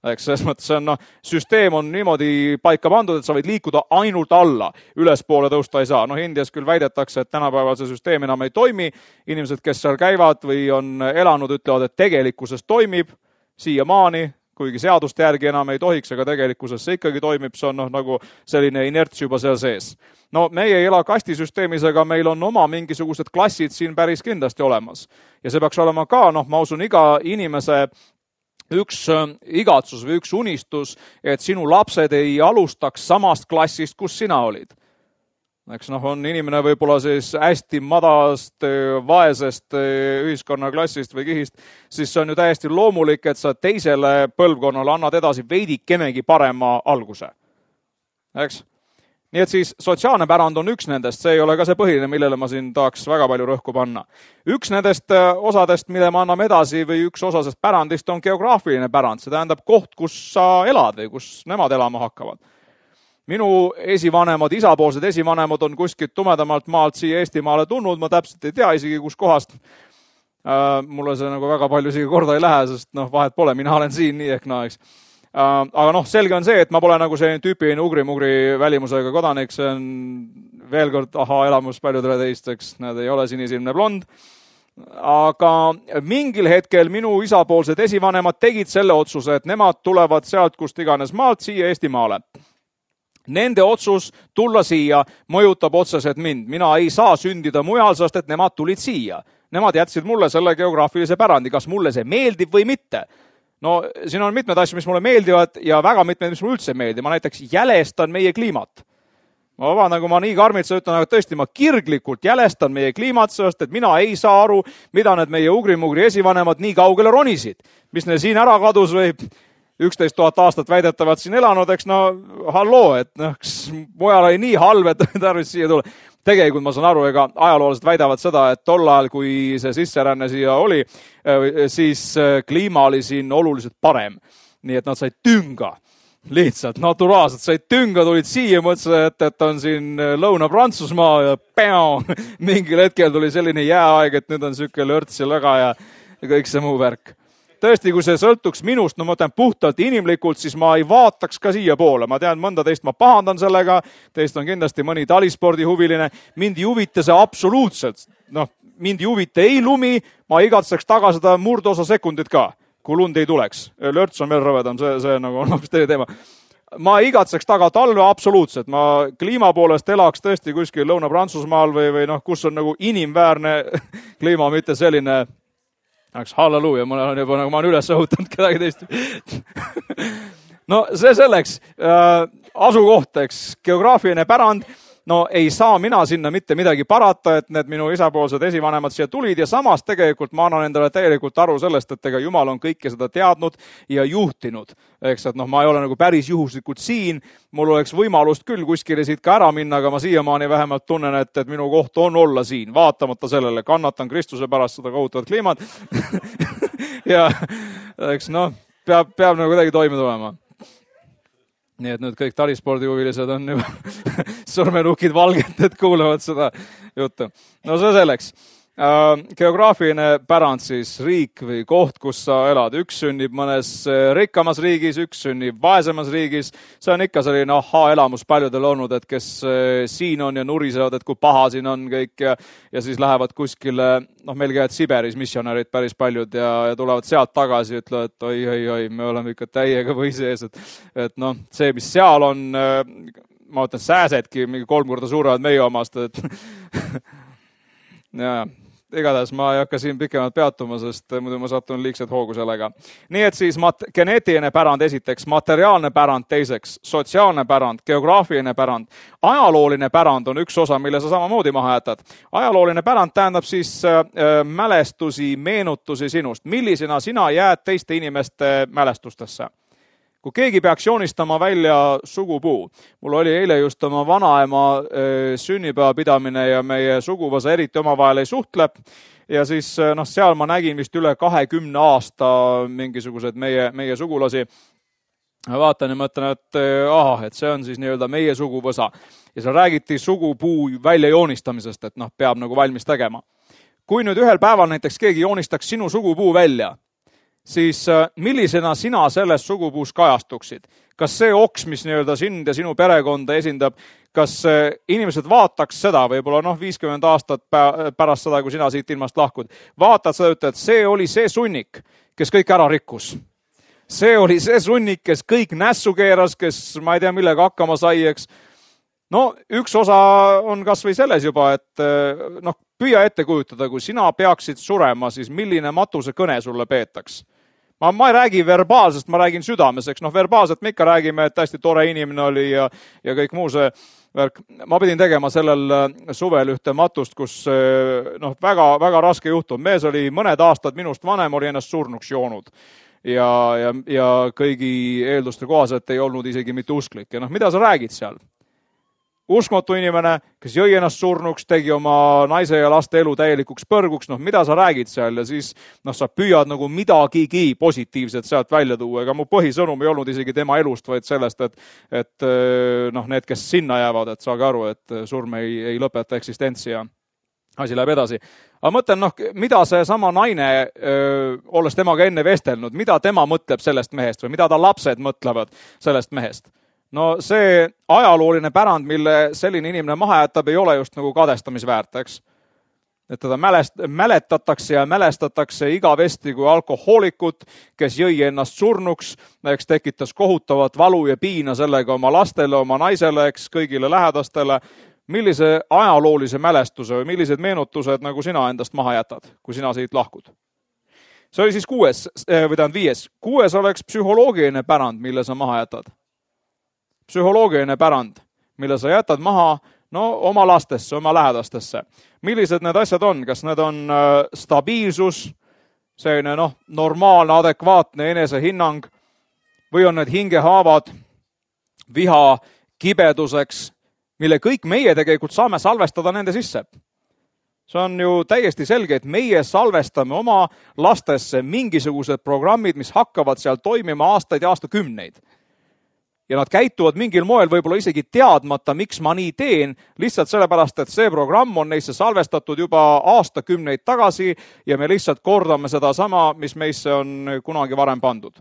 Eks selles mõttes on, no, süsteem on niimoodi paika pandud, et sa võid liikuda ainult alla, ülespoole tõusta ei saa. No Indias küll väidetakse, et tänapäeval see süsteem enam ei toimi. Inimesed, kes seal käivad või on elanud, ütlevad, et tegelikkuses toimib siia maani, kuigi seaduste järgi enam ei tohiks, aga tegelikkuses see ikkagi toimib, see on noh, nagu selline inerts juba seal sees. No meie ei ela kastisüsteemis, aga meil on oma mingisugused klassid siin päris kindlasti olemas. Ja see peaks olema ka, noh, ma usun, iga inimese üks igatsus või üks unistus, et sinu lapsed ei alustaks samast klassist, kus sina olid. Eks noh, on inimene võib-olla siis hästi madalast, vaesest ühiskonnaklassist või kihist, siis see on ju täiesti loomulik, et sa teisele põlvkonnale annad edasi veidikenegi parema alguse. Eks? Nii et siis sotsiaalne pärand on üks nendest, see ei ole ka see põhiline, millele ma siin tahaks väga palju rõhku panna. Üks nendest osadest, mille ma anname edasi või üks osasest pärandist on geograafiline pärand, see tähendab koht, kus sa elad või kus nemad elama hakkavad. Minu esivanemad, isapoolsed esivanemad on kuskilt tumedamalt maalt siia Eestimaale tulnud, ma täpselt ei tea isegi kus kohast. Mulle see nagu väga palju isegi korda ei lähe, sest noh, vahet pole, mina olen siin nii ehk naa, eks. Aga noh, selge on see, et ma pole nagu selline tüüpiline ugri-mugri välimusega kodanik, see on veel kord aha elamus paljudele teisteks, nad ei ole sinisilmne blond. Aga mingil hetkel minu isapoolsed esivanemad tegid selle otsuse, et nemad tulevad sealt kust iganes maalt siia Eestimaale. Nende otsus tulla siia mõjutab otseselt mind. Mina ei saa sündida mujal, sest et nemad tulid siia. Nemad jätsid mulle selle geograafilise pärandi, kas mulle see meeldib või mitte. No siin on mitmed asju, mis mulle meeldivad ja väga mitmed, mis mulle üldse meeldib. Ma näiteks jälestan meie kliimat. Ma vabandan, kui ma nii karmitsa ütlen, aga tõesti ma kirglikult jälestan meie kliimat, sest et mina ei saa aru, mida need meie ugri-mugri esivanemad nii kaugele ronisid. Mis neil siin ära kadus või üksteist tuhat aastat väidetavad siin elanud, eks no halloo, et noh, mujal oli nii halb, et tarvis siia tulla. Tegelikult ma saan aru, ega ajaloolased väidavad seda, et tol ajal, kui see sisseränne siia oli, siis kliima oli siin oluliselt parem. Nii et nad said tünga, lihtsalt naturaalselt said tünga, tulid siia, mõtlesid, et, et on siin Lõuna-Prantsusmaa ja peao, mingil hetkel tuli selline jääaeg, et nüüd on siuke lörts ja lõga ja, ja kõik see muu värk. Tõesti, kui see sõltuks minust, no ma ütlen puhtalt inimlikult, siis ma ei vaataks ka siia poole. Ma tean, mõnda teist ma pahandan sellega, teist on kindlasti mõni talispordi huviline. Mind ei huvita see absoluutselt. Noh, mind ei huvita ei lumi, ma igatseks taga seda murdosa sekundit ka, kui lund ei tuleks. Lörts on veel rõvedam, see, see nagu on hoopis teine teema. Ma igatseks taga talve absoluutselt. Ma kliima poolest elaks tõesti kuskil Lõuna-Prantsusmaal või, või noh, kus on nagu inimväärne kliima, mitte selline. Eks halleluuja, ma olen juba nagu ma olen üles õhutanud kedagi teist. No see selleks, äh, asukoht, eks, geograafiline pärand no ei saa mina sinna mitte midagi parata, et need minu isapoolsed esivanemad siia tulid ja samas tegelikult ma annan endale täielikult aru sellest, et ega Jumal on kõike seda teadnud ja juhtinud. Eks, et noh, ma ei ole nagu päris juhuslikult siin, mul oleks võimalust küll kuskile siit ka ära minna, aga ma siiamaani vähemalt tunnen, et, et minu koht on olla siin, vaatamata sellele, kannatan Kristuse pärast seda kohutavat kliimat ja eks noh, peab, peab nagu kuidagi toime tulema. Nii et nüüd kõik talispordihuvilised on juba sormenukid valged, et kuulevad seda juttu. No see selleks. Geograafiline pärand siis, riik või koht, kus sa elad. Üks sünnib mõnes rikkamas riigis, üks sünnib vaesemas riigis. See on ikka selline aha-elamus paljudel olnud, et kes siin on ja nurisevad, et kui paha siin on kõik ja, ja siis lähevad kuskile, noh meil käivad Siberis missionärid päris paljud ja, ja tulevad sealt tagasi ja ütlevad, et oi, oi, oi, me oleme ikka täiega või sees, et, et noh, see, mis seal on, ma ütlen, sääsedki mingi kolm korda suurevad meie omast, et ja igatahes ma ei hakka siin pikemalt peatuma, sest muidu ma satun liigselt hoogu sellega. Nii et siis mat- geneetiline pärand esiteks, materiaalne pärand teiseks, sotsiaalne pärand, geograafiline pärand, ajalooline pärand on üks osa, mille sa samamoodi maha jätad. Ajalooline pärand tähendab siis äh, mälestusi, meenutusi sinust. Millisena sina jääd teiste inimeste mälestustesse? Kui keegi peaks joonistama välja sugupuu, mul oli eile just oma vanaema sünnipäeva pidamine ja meie suguvõsa eriti omavahel ei suhtle ja siis noh, seal ma nägin vist üle kahekümne aasta mingisugused meie, meie sugulasi. Vaatan ja mõtlen, et aha, et see on siis nii-öelda meie suguvõsa ja seal räägiti sugupuu välja joonistamisest, et noh, peab nagu valmis tegema. Kui nüüd ühel päeval näiteks keegi joonistaks sinu sugupuu välja, siis millisena sina selles sugupuus kajastuksid? Kas see oks, mis nii-öelda sind ja sinu perekonda esindab, kas inimesed vaataks seda, võib-olla noh, viiskümmend aastat pärast seda, kui sina siit ilmast lahkud, vaatad seda, ütled, et see oli see sunnik, kes kõik ära rikkus. See oli see sunnik, kes kõik nässu keeras, kes ma ei tea, millega hakkama sai, eks. No üks osa on kas või selles juba, et noh, püüa ette kujutada, kui sina peaksid surema, siis milline matuse kõne sulle peetaks? Ma, ma ei räägi verbaalsest, ma räägin südameseks. Noh, verbaalselt me ikka räägime, et hästi tore inimene oli ja, ja kõik muu see värk. Ma pidin tegema sellel suvel ühte matust, kus noh, väga, väga raske juhtum. Mees oli mõned aastad minust vanem, oli ennast surnuks joonud. Ja, ja, ja kõigi eelduste kohaselt ei olnud isegi mitte usklik. Ja noh, mida sa räägid seal? Uskmatu inimene, kes jõi ennast surnuks, tegi oma naise ja laste elu täielikuks põrguks, noh, mida sa räägid seal ja siis noh, sa püüad nagu midagigi positiivset sealt välja tuua, ega mu põhisõnum ei olnud isegi tema elust, vaid sellest, et, et noh, need, kes sinna jäävad, et saage aru, et surm ei, ei lõpeta eksistentsi ja asi läheb edasi. Aga mõtlen, noh, mida see sama naine, öö, olles temaga enne vestelnud, mida tema mõtleb sellest mehest või mida ta lapsed mõtlevad sellest mehest? No see ajalooline pärand, mille selline inimene maha jätab, ei ole just nagu kadestamisväärt, eks. Et teda mälest, mäletatakse ja mälestatakse igavesti kui alkohoolikut, kes jõi ennast surnuks, eks tekitas kohutavat valu ja piina sellega oma lastele, oma naisele, eks kõigile lähedastele. Millise ajaloolise mälestuse või millised meenutused nagu sina endast maha jätad, kui sina siit lahkud? See oli siis kuues, või tähendab viies. Kuues oleks psühholoogiline pärand, mille sa maha jätad. Psühholoogiline pärand, mille sa jätad maha no, oma lastesse, oma lähedastesse. Millised need asjad on? Kas need on äh, stabiilsus, selline noh, normaalne, adekvaatne enesehinnang või on need hingehaavad, viha, kibeduseks, mille kõik meie tegelikult saame salvestada nende sisse. See on ju täiesti selge, et meie salvestame oma lastesse mingisugused programmid, mis hakkavad seal toimima aastaid ja aastakümneid. Ja nad käituvad mingil moel võib-olla isegi teadmata, miks ma nii teen, lihtsalt sellepärast, et see programm on neisse salvestatud juba aastakümneid tagasi ja me lihtsalt kordame seda sama, mis meisse on kunagi varem pandud.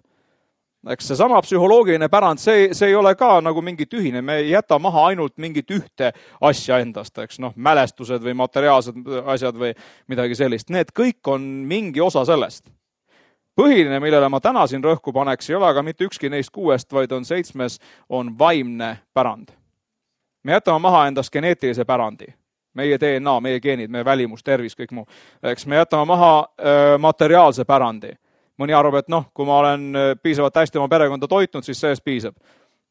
Eks see sama psühholoogiline pärand, see, see ei ole ka nagu mingi tühine, me ei jäta maha ainult mingit ühte asja endast, eks noh, mälestused või materiaalsed asjad või midagi sellist. Need kõik on mingi osa sellest. Põhiline, millele ma täna siin rõhku paneks, ei ole aga mitte ükski neist kuuest, vaid on seitsmes, on vaimne pärand. Me jätame maha endast geneetilise pärandi. Meie D N A, meie geenid, meie välimus, tervis, kõik muu. Eks me jätame maha öö, materiaalse pärandi. Mõni arvab, et noh, kui ma olen piisavalt hästi oma perekonda toitnud, siis sellest piisab.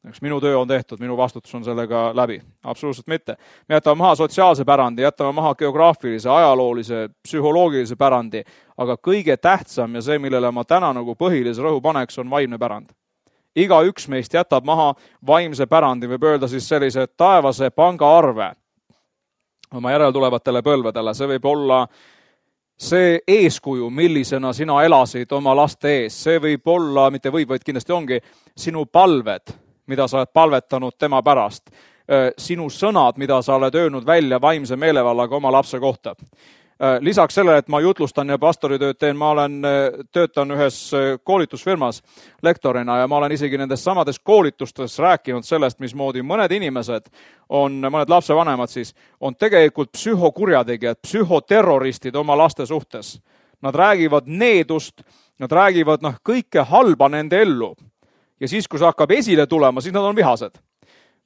Eks minu töö on tehtud, minu vastutus on sellega läbi. Absoluutselt mitte. Me jätame maha sotsiaalse pärandi, jätame maha geograafilise, ajaloolise, psühholoogilise pärandi, aga kõige tähtsam ja see, millele ma täna nagu põhilise rõhu paneks, on vaimne pärand. Iga üks meist jätab maha vaimse pärandi, võib öelda siis sellise taevase pangaarve oma järeltulevatele põlvedele. See võib olla see eeskuju, millisena sina elasid oma laste ees. See võib olla, mitte võib, vaid kindlasti ongi, sinu palved, mida sa oled palvetanud tema pärast. Sinu sõnad, mida sa oled öelnud välja vaimse meelevallaga oma lapse kohta. Lisaks sellele, et ma jutlustan ja pastoritööd teen, ma olen töötan ühes koolitusfirmas lektorina ja ma olen isegi nendes samades koolitustes rääkinud sellest, mismoodi mõned inimesed on, mõned lapsevanemad siis, on tegelikult psühhokurjategijad, psühhoterroristid oma laste suhtes. Nad räägivad needust, nad räägivad noh, kõike halba nende ellu. Ja siis, kui see hakkab esile tulema, siis nad on vihased.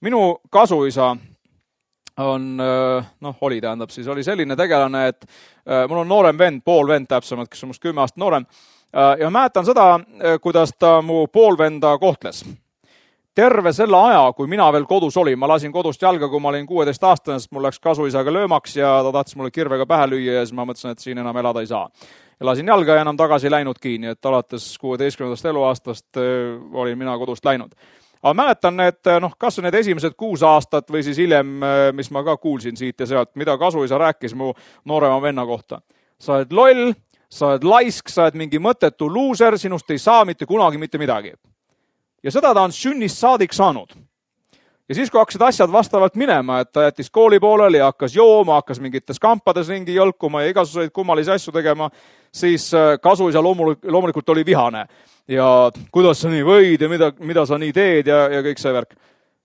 Minu kasuisa on, noh, oli tähendab siis, oli selline tegelane, et mul on noorem vend, pool vend täpsemalt, kes on must kümme aastat noorem. Ja mäletan seda, kuidas ta mu poolvenda kohtles. Terve selle aja, kui mina veel kodus olin, ma lasin kodust jalga, kui ma olin kuueteist aastane, sest mul läks kasuisaga löömaks ja ta tahtis mulle kirvega pähe lüüa ja siis ma mõtlesin, et siin enam elada ei saa. Ja lasin jalga ja enam tagasi läinud kiinni, et alates kuueteistkümnendast eluaastast olin mina kodust läinud. Aga mäletan, et noh, kas need esimesed kuus aastat või siis hiljem, mis ma ka kuulsin siit ja sealt, mida kasuisa rääkis mu noorema venna kohta. Sa oled loll, sa oled laisk, sa oled mingi mõttetu luuser, sinust ei saa mitte kunagi mitte midagi. Ja seda ta on sünnist saadik saanud. Ja siis, kui hakkasid asjad vastavalt minema, et ta jättis kooli pooleli ja hakkas jooma, hakkas mingites kampades ringi jõlkuma ja igasuguseid kummalisi asju tegema, siis kasuisa loomulikult oli vihane. Ja kuidas sa nii võid ja mida, mida sa nii teed ja, ja kõik see värk.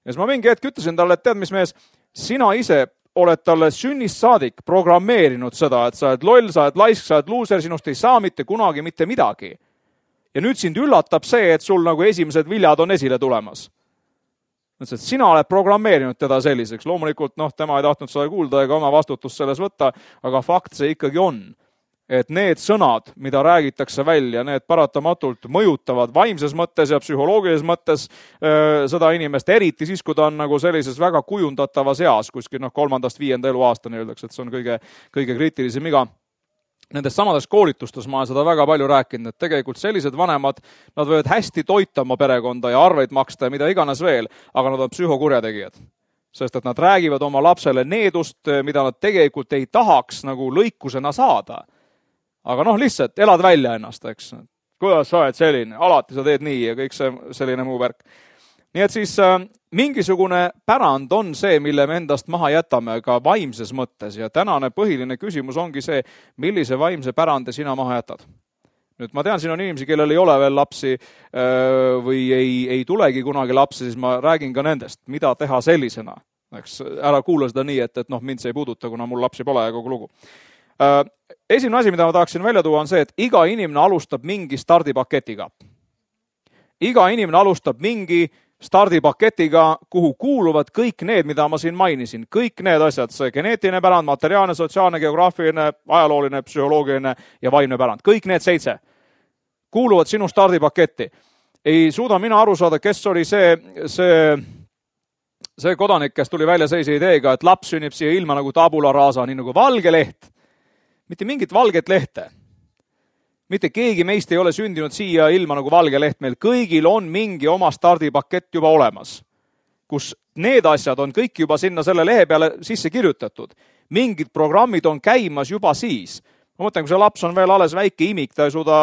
Ja siis ma mingi hetk ütlesin talle, et tead, mis mees, sina ise oled talle sünnist saadik programmeerinud seda, et sa oled loll, sa oled laisk, sa oled luuser, sinust ei saa mitte kunagi mitte midagi. Ja nüüd sind üllatab see, et sul nagu esimesed viljad on esile tulemas. Et sina oled programmeerinud teda selliseks. Loomulikult, noh, tema ei tahtnud seda kuulda ega oma vastutust selles võtta, aga fakt see ikkagi on, et need sõnad, mida räägitakse välja, need paratamatult mõjutavad vaimses mõttes ja psühholoogilises mõttes öö, seda inimest, eriti siis, kui ta on nagu sellises väga kujundatavas eas, kuskil noh, kolmandast viienda eluaastani öeldakse, et see on kõige, kõige kriitilisem iga. Nendes samades koolitustes ma olen seda väga palju rääkinud, et tegelikult sellised vanemad, nad võivad hästi toita oma perekonda ja arveid maksta ja mida iganes veel, aga nad on psühhokurjategijad. Sest et nad räägivad oma lapsele needust, mida nad tegelikult ei tahaks nagu lõikusena saada. Aga noh, lihtsalt elad välja ennast, eks. Kuidas sa oled selline? Alati sa teed nii ja kõik see selline muu värk. Nii et siis äh, mingisugune pärand on see, mille me endast maha jätame ka vaimses mõttes ja tänane põhiline küsimus ongi see, millise vaimse pärande sina maha jätad. Nüüd ma tean, siin on inimesi, kellel ei ole veel lapsi äh, või ei, ei tulegi kunagi lapsi, siis ma räägin ka nendest, mida teha sellisena. Eks, ära kuula seda nii, et, et noh, mind see ei puuduta, kuna mul lapsi pole ja kogu lugu. Äh, esimene asi, mida ma tahaksin välja tuua, on see, et iga inimene alustab mingi stardipaketiga. Iga inimene alustab mingi stardipaketiga, kuhu kuuluvad kõik need, mida ma siin mainisin. Kõik need asjad, see geneetiline pärand, materiaalne, sotsiaalne, geograafiline, ajalooline, psühholoogiline ja vaimne pärand. Kõik need seitse kuuluvad sinu stardipaketti. Ei suuda mina aru saada, kes oli see, see, see kodanik, kes tuli välja seise ideega, et laps sünnib siia ilma nagu tabula rasa, nii nagu valge leht. Mitte mingit valget lehte. Mitte keegi meist ei ole sündinud siia ilma nagu valge leht. Meil kõigil on mingi oma stardipakett juba olemas, kus need asjad on kõik juba sinna selle lehe peale sisse kirjutatud. Mingid programmid on käimas juba siis. Ma mõtlen, kui see laps on veel alles väike imik, ta ei suuda,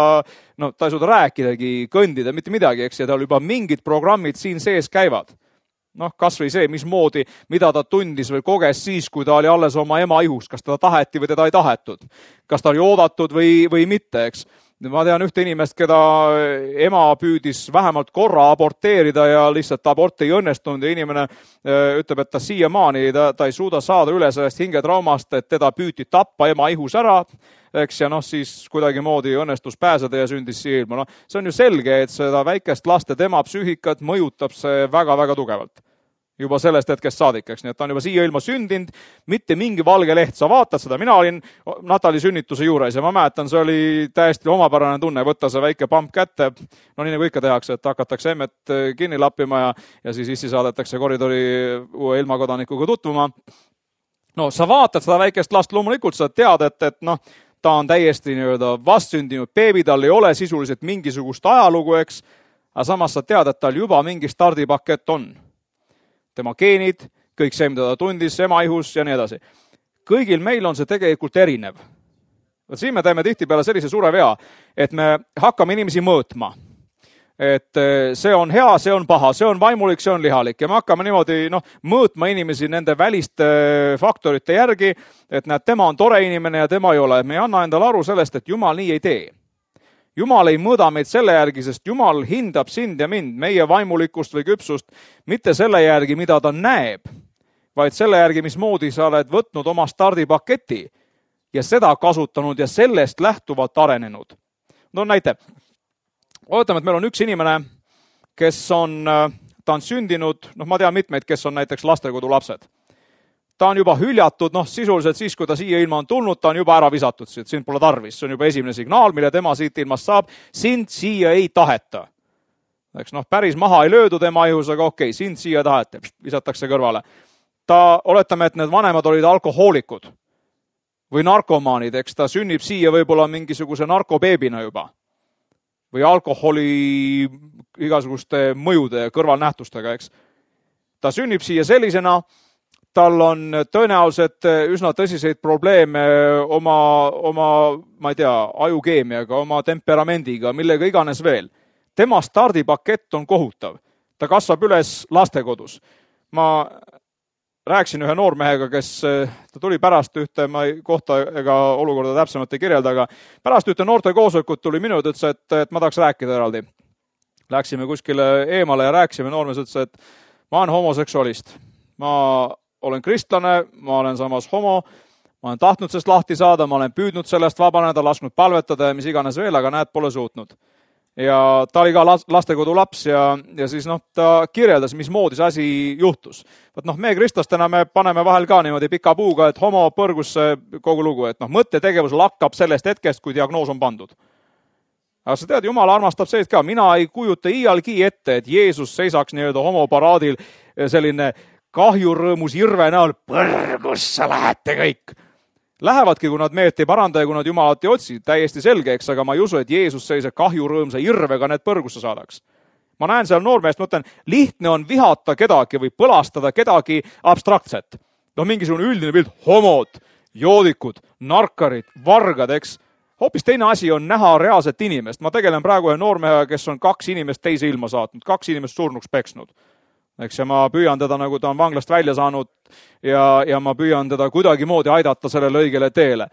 no, ta ei suuda rääkidagi, kõndida, mitte midagi, eks, ja tal juba mingid programmid siin sees käivad. Noh, kas või see, mismoodi, mida ta tundis või koges siis, kui ta oli alles oma ema ihus, kas teda taheti või teda ei tahetud, kas ta oli oodatud või, või mitte, eks. Ma tean ühte inimest, keda ema püüdis vähemalt korra aborteerida ja lihtsalt abort ei õnnestunud ja inimene ütleb, et ta siiamaani, ta, ta ei suuda saada üle sellest hingetraumast, et teda püüti tappa ema ihus ära, eks, ja noh, siis kuidagi moodi õnnestus pääseda ja sündis siia ilma. No, see on ju selge, et seda väikest last ja tema psüühikat mõjutab see väga-väga tugevalt. juba sellest hetkest saadik, eks, nii et ta on juba siia ilma sündinud, mitte mingi valge leht, sa vaatad seda, mina olin Natali sünnituse juures ja ma mäletan, see oli täiesti omapärane tunne, võtta see väike pamp kätte, no nii nagu ikka tehakse, et hakatakse emmet kinni lappima ja, ja siis issi saadetakse koridori uue ilmakodanikuga tutvuma. No sa vaatad seda väikest last, loomulikult sa tead, et, et noh, ta on täiesti nii-öelda vastsündinud beebi, tal ei ole sisuliselt mingisugust ajalugu, eks, aga samas sa tead, et tal juba mingi stardipakett on. Tema geenid, kõik see, mida ta tundis, ema ihus ja nii edasi. Kõigil meil on see tegelikult erinev. Võt siin me teeme tihtipeale sellise suure vea, et me hakkame inimesi mõõtma. Et see on hea, see on paha, see on vaimulik, see on lihalik. Ja me hakkame niimoodi no, mõõtma inimesi nende väliste faktorite järgi, et näed, tema on tore inimene ja tema ei ole. Me ei anna endale aru sellest, et Jumal nii ei tee. Jumal ei mõõda meid selle järgi, sest Jumal hindab sind ja mind, meie vaimulikkust või küpsust, mitte selle järgi, mida ta näeb, vaid selle järgi, mismoodi sa oled võtnud oma stardipaketi ja seda kasutanud ja sellest lähtuvalt arenenud. No näite, ootame, et meil on üks inimene, kes on, ta on sündinud, noh ma tean mitmeid, kes on näiteks lastekodu lapsed. Ta on juba hüljatud, noh sisuliselt siis, kui ta siia ilma on tulnud, ta on juba ära visatud, et sind pole tarvis. See on juba esimene signaal, mille tema siit ilmast saab. Sind siia ei taheta. Eks noh, päris maha ei löödu tema ihus, aga okei, sind siia tahete, visatakse kõrvale. Ta, oletame, et need vanemad olid alkohoolikud või narkomaanid, eks ta sünnib siia võib-olla mingisuguse narkobeebina juba või alkoholi igasuguste mõjude ja kõrvalnähtustega, eks. Ta sünnib siia sellisena, tal on tõenäoliselt üsna tõsiseid probleeme oma, oma, ma ei tea, ajukeemiaga, oma temperamendiga, millega iganes veel. Tema stardipakett on kohutav. Ta kasvab üles lastekodus. Ma rääkisin ühe noormehega, kes ta tuli pärast ühte, ma ei kohta ega olukorda täpsemalt ei kirjelda, aga pärast ühte noorte koosolekut tuli minu, ütles, et, et ma tahaks rääkida eraldi. Läksime kuskile eemale ja rääkisime, noormees ütles, et ma olen homoseksualist. Ma olen kristlane, ma olen samas homo, ma olen tahtnud sellest lahti saada, ma olen püüdnud sellest vabaneda, lasknud palvetada ja mis iganes veel, aga näed, pole suutnud. Ja ta oli ka lastekodu laps ja, ja siis noh, ta kirjeldas, mismoodi see asi juhtus. Võt noh, me kristlastena me paneme vahel ka niimoodi pika puuga, et homo põrgusse kogu lugu, et noh, mõttetegevus lakkab sellest hetkest, kui diagnoos on pandud. Aga sa tead, Jumal armastab sellist ka, mina ei kujuta iialgi ette, et Jeesus seisaks nii-öelda homoparaadil selline kahjurõõmus irve näol, põrgusse lähete kõik. Lähevadki, kui nad meelt ei paranda ja kui nad Jumalat ei otsi, täiesti selge, eks, aga ma ei usu, et Jeesus sellise kahjurõõmsa irvega need põrgusse saadaks. Ma näen seal noormeest, mõtlen, lihtne on vihata kedagi või põlastada kedagi abstraktset. No mingisugune üldine pilt, homod, joodikud, narkarid, vargad, eks. Hoopis teine asi on näha reaalset inimest. Ma tegelen praegu ühe noormehega, kes on kaks inimest teise ilma saatnud, kaks inimest surnuks peksnud. Eks, ja ma püüan teda, nagu ta on vanglast välja saanud ja, ja ma püüan teda kuidagi moodi aidata sellele õigele teele.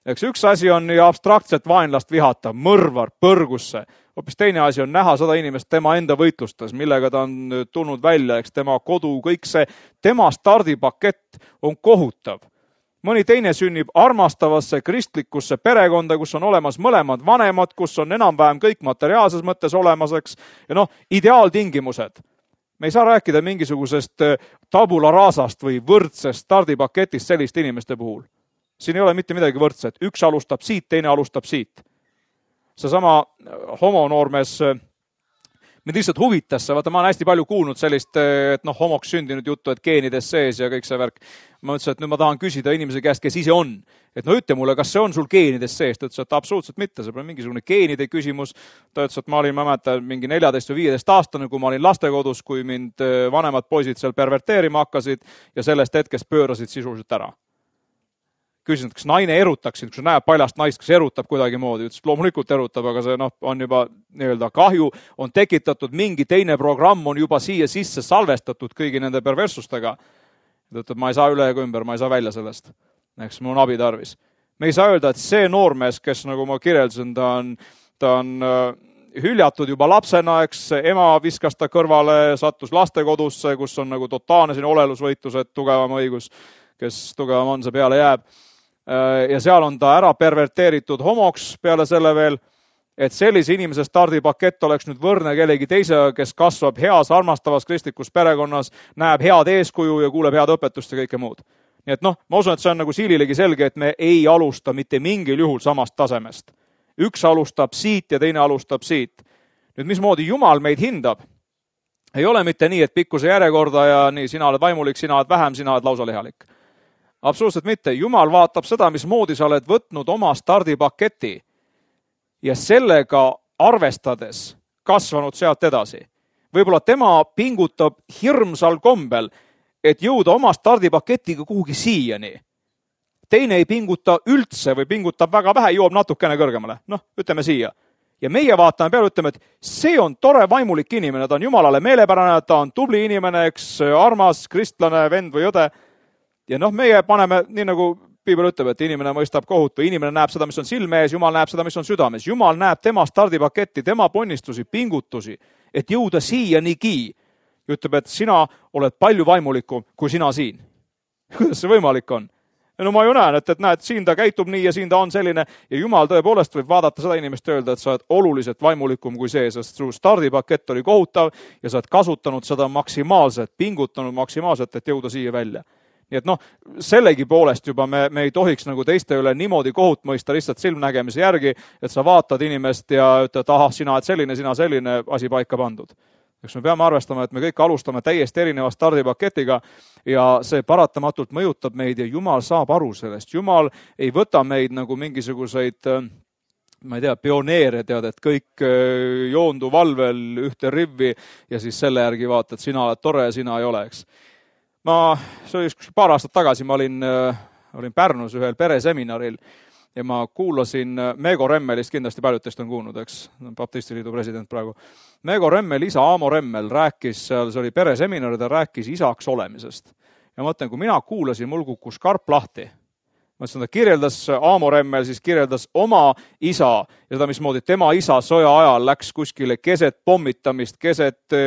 Eks üks asi on ja abstraktselt vaenlast vihata, mõrvar, põrgusse. Hoopis teine asi on näha seda inimest tema enda võitlustes, millega ta on tulnud välja, eks tema kodu, kõik see, tema stardipakett on kohutav. Mõni teine sünnib armastavasse kristlikusse perekonda, kus on olemas mõlemad vanemad, kus on enam-vähem kõik materiaalses mõttes olemaseks ja noh, ideaaltingimused. Me ei saa rääkida mingisugusest tabula rasast või võrdsest stardipaketist selliste inimeste puhul. Siin ei ole mitte midagi võrdset. Üks alustab siit, teine alustab siit. Seesama homonoormees, mind lihtsalt huvitas, vaata ma olen hästi palju kuulnud sellist, et noh, homoks sündinud juttu, et geenides sees ja kõik see värk. Ma ütlesin, et nüüd ma tahan küsida inimese käest, kes ise on. Et no ütle mulle, kas see on sul geenides sees? Ta ütles, et absoluutselt mitte, see pole mingisugune geenide küsimus. Ta ütles, et ma olin, ma mäletan, mingi neljateist või viieteist aastane, kui ma olin lastekodus, kui mind vanemad poisid seal perverteerima hakkasid ja sellest hetkest pöörasid sisuliselt ära. Küsisin, kas naine erutaks sind, kui sa näeb paljast naist, kas erutab kuidagi moodi. Ütles, loomulikult erutab, aga see noh, on juba nii-öelda kahju, on tekitatud mingi teine programm, on juba siia sisse salvestatud kõigi nende perverssustega. Ta ütleb, ma ei saa üle ega ümber, ma ei saa välja sellest. Eks mul on abi tarvis. Me ei saa öelda, et see noormees, kes nagu ma kirjeldasin, ta on, ta on hüljatud juba lapsena, eks ema viskas ta kõrvale, sattus lastekodusse, kus on nagu totaalne siin olelusvõitlus, et tugevam õigus, kes tugevam on, see peale jääb. Ja seal on ta ära perverteeritud homoks peale selle veel et sellise inimese stardipakett oleks nüüd võrne kellegi teise, kes kasvab heas, armastavas kristlikus perekonnas, näeb head eeskuju ja kuuleb head õpetust ja kõike muud. Nii et noh, ma usun, et see on nagu siililegi selge, et me ei alusta mitte mingil juhul samast tasemest. Üks alustab siit ja teine alustab siit. Nüüd, mismoodi Jumal meid hindab? Ei ole mitte nii, et pikkuse järjekorda ja nii, sina oled vaimulik, sina oled vähem, sina oled lausa lihalik. Absoluutselt mitte. Jumal vaatab seda, mismoodi sa oled võtnud oma stardipaketi ja sellega arvestades kasvanud sealt edasi. Võib-olla tema pingutab hirmsal kombel, et jõuda oma stardipaketiga kuhugi siiani. Teine ei pinguta üldse või pingutab väga vähe, jõuab natukene kõrgemale. Noh, ütleme siia. Ja meie vaatame peale, ütleme, et see on tore vaimulik inimene, ta on Jumalale meelepärane, ta on tubli inimene, eks armas, kristlane, vend või õde. Ja noh, meie paneme, nii nagu Piibel ütleb, et inimene mõistab kohut või inimene näeb seda, mis on silme ees, Jumal näeb seda, mis on südames. Jumal näeb tema stardipaketti, tema ponnistusi, pingutusi, et jõuda siia niigi. Ütleb, et sina oled palju vaimulikum kui sina siin. Kuidas see võimalik on? No ma ju näen, et, et näed, siin ta käitub nii ja siin ta on selline ja Jumal tõepoolest võib vaadata seda inimest ja öelda, et sa oled oluliselt vaimulikum kui see, sest su stardipakett oli kohutav ja sa oled kasutanud seda maksimaalselt, pingutanud maksimaalselt, et jõuda siia välja. Nii et noh, sellegi poolest juba me, me ei tohiks nagu teiste üle niimoodi kohut mõista lihtsalt silmnägemise järgi, et sa vaatad inimest ja ütled, ahah, sina oled selline, sina selline, asi paika pandud. Eks me peame arvestama, et me kõik alustame täiesti erineva stardipaketiga ja see paratamatult mõjutab meid ja Jumal saab aru sellest. Jumal ei võta meid nagu mingisuguseid, ma ei tea, pioneere, tead, et kõik joondu valvel ühte rivvi ja siis selle järgi vaata, et sina oled tore ja sina ei ole, eks. Ma, see oli paar aastat tagasi, ma olin, olin Pärnus ühel pereseminaril ja ma kuulasin Meego Remmelist, kindlasti paljud teist on kuulnud, eks, Baptistiliidu president praegu. Meego Remmel, isa Aamo Remmel rääkis, seal see oli pereseminar, ta rääkis isaks olemisest. Ja ma mõtlen, kui mina kuulasin, mul kukkus karp lahti. Ma ütlesin, ta kirjeldas, Aamo Remmel siis kirjeldas oma isa ja seda, mismoodi tema isa sõja ajal läks kuskile keset pommitamist, keset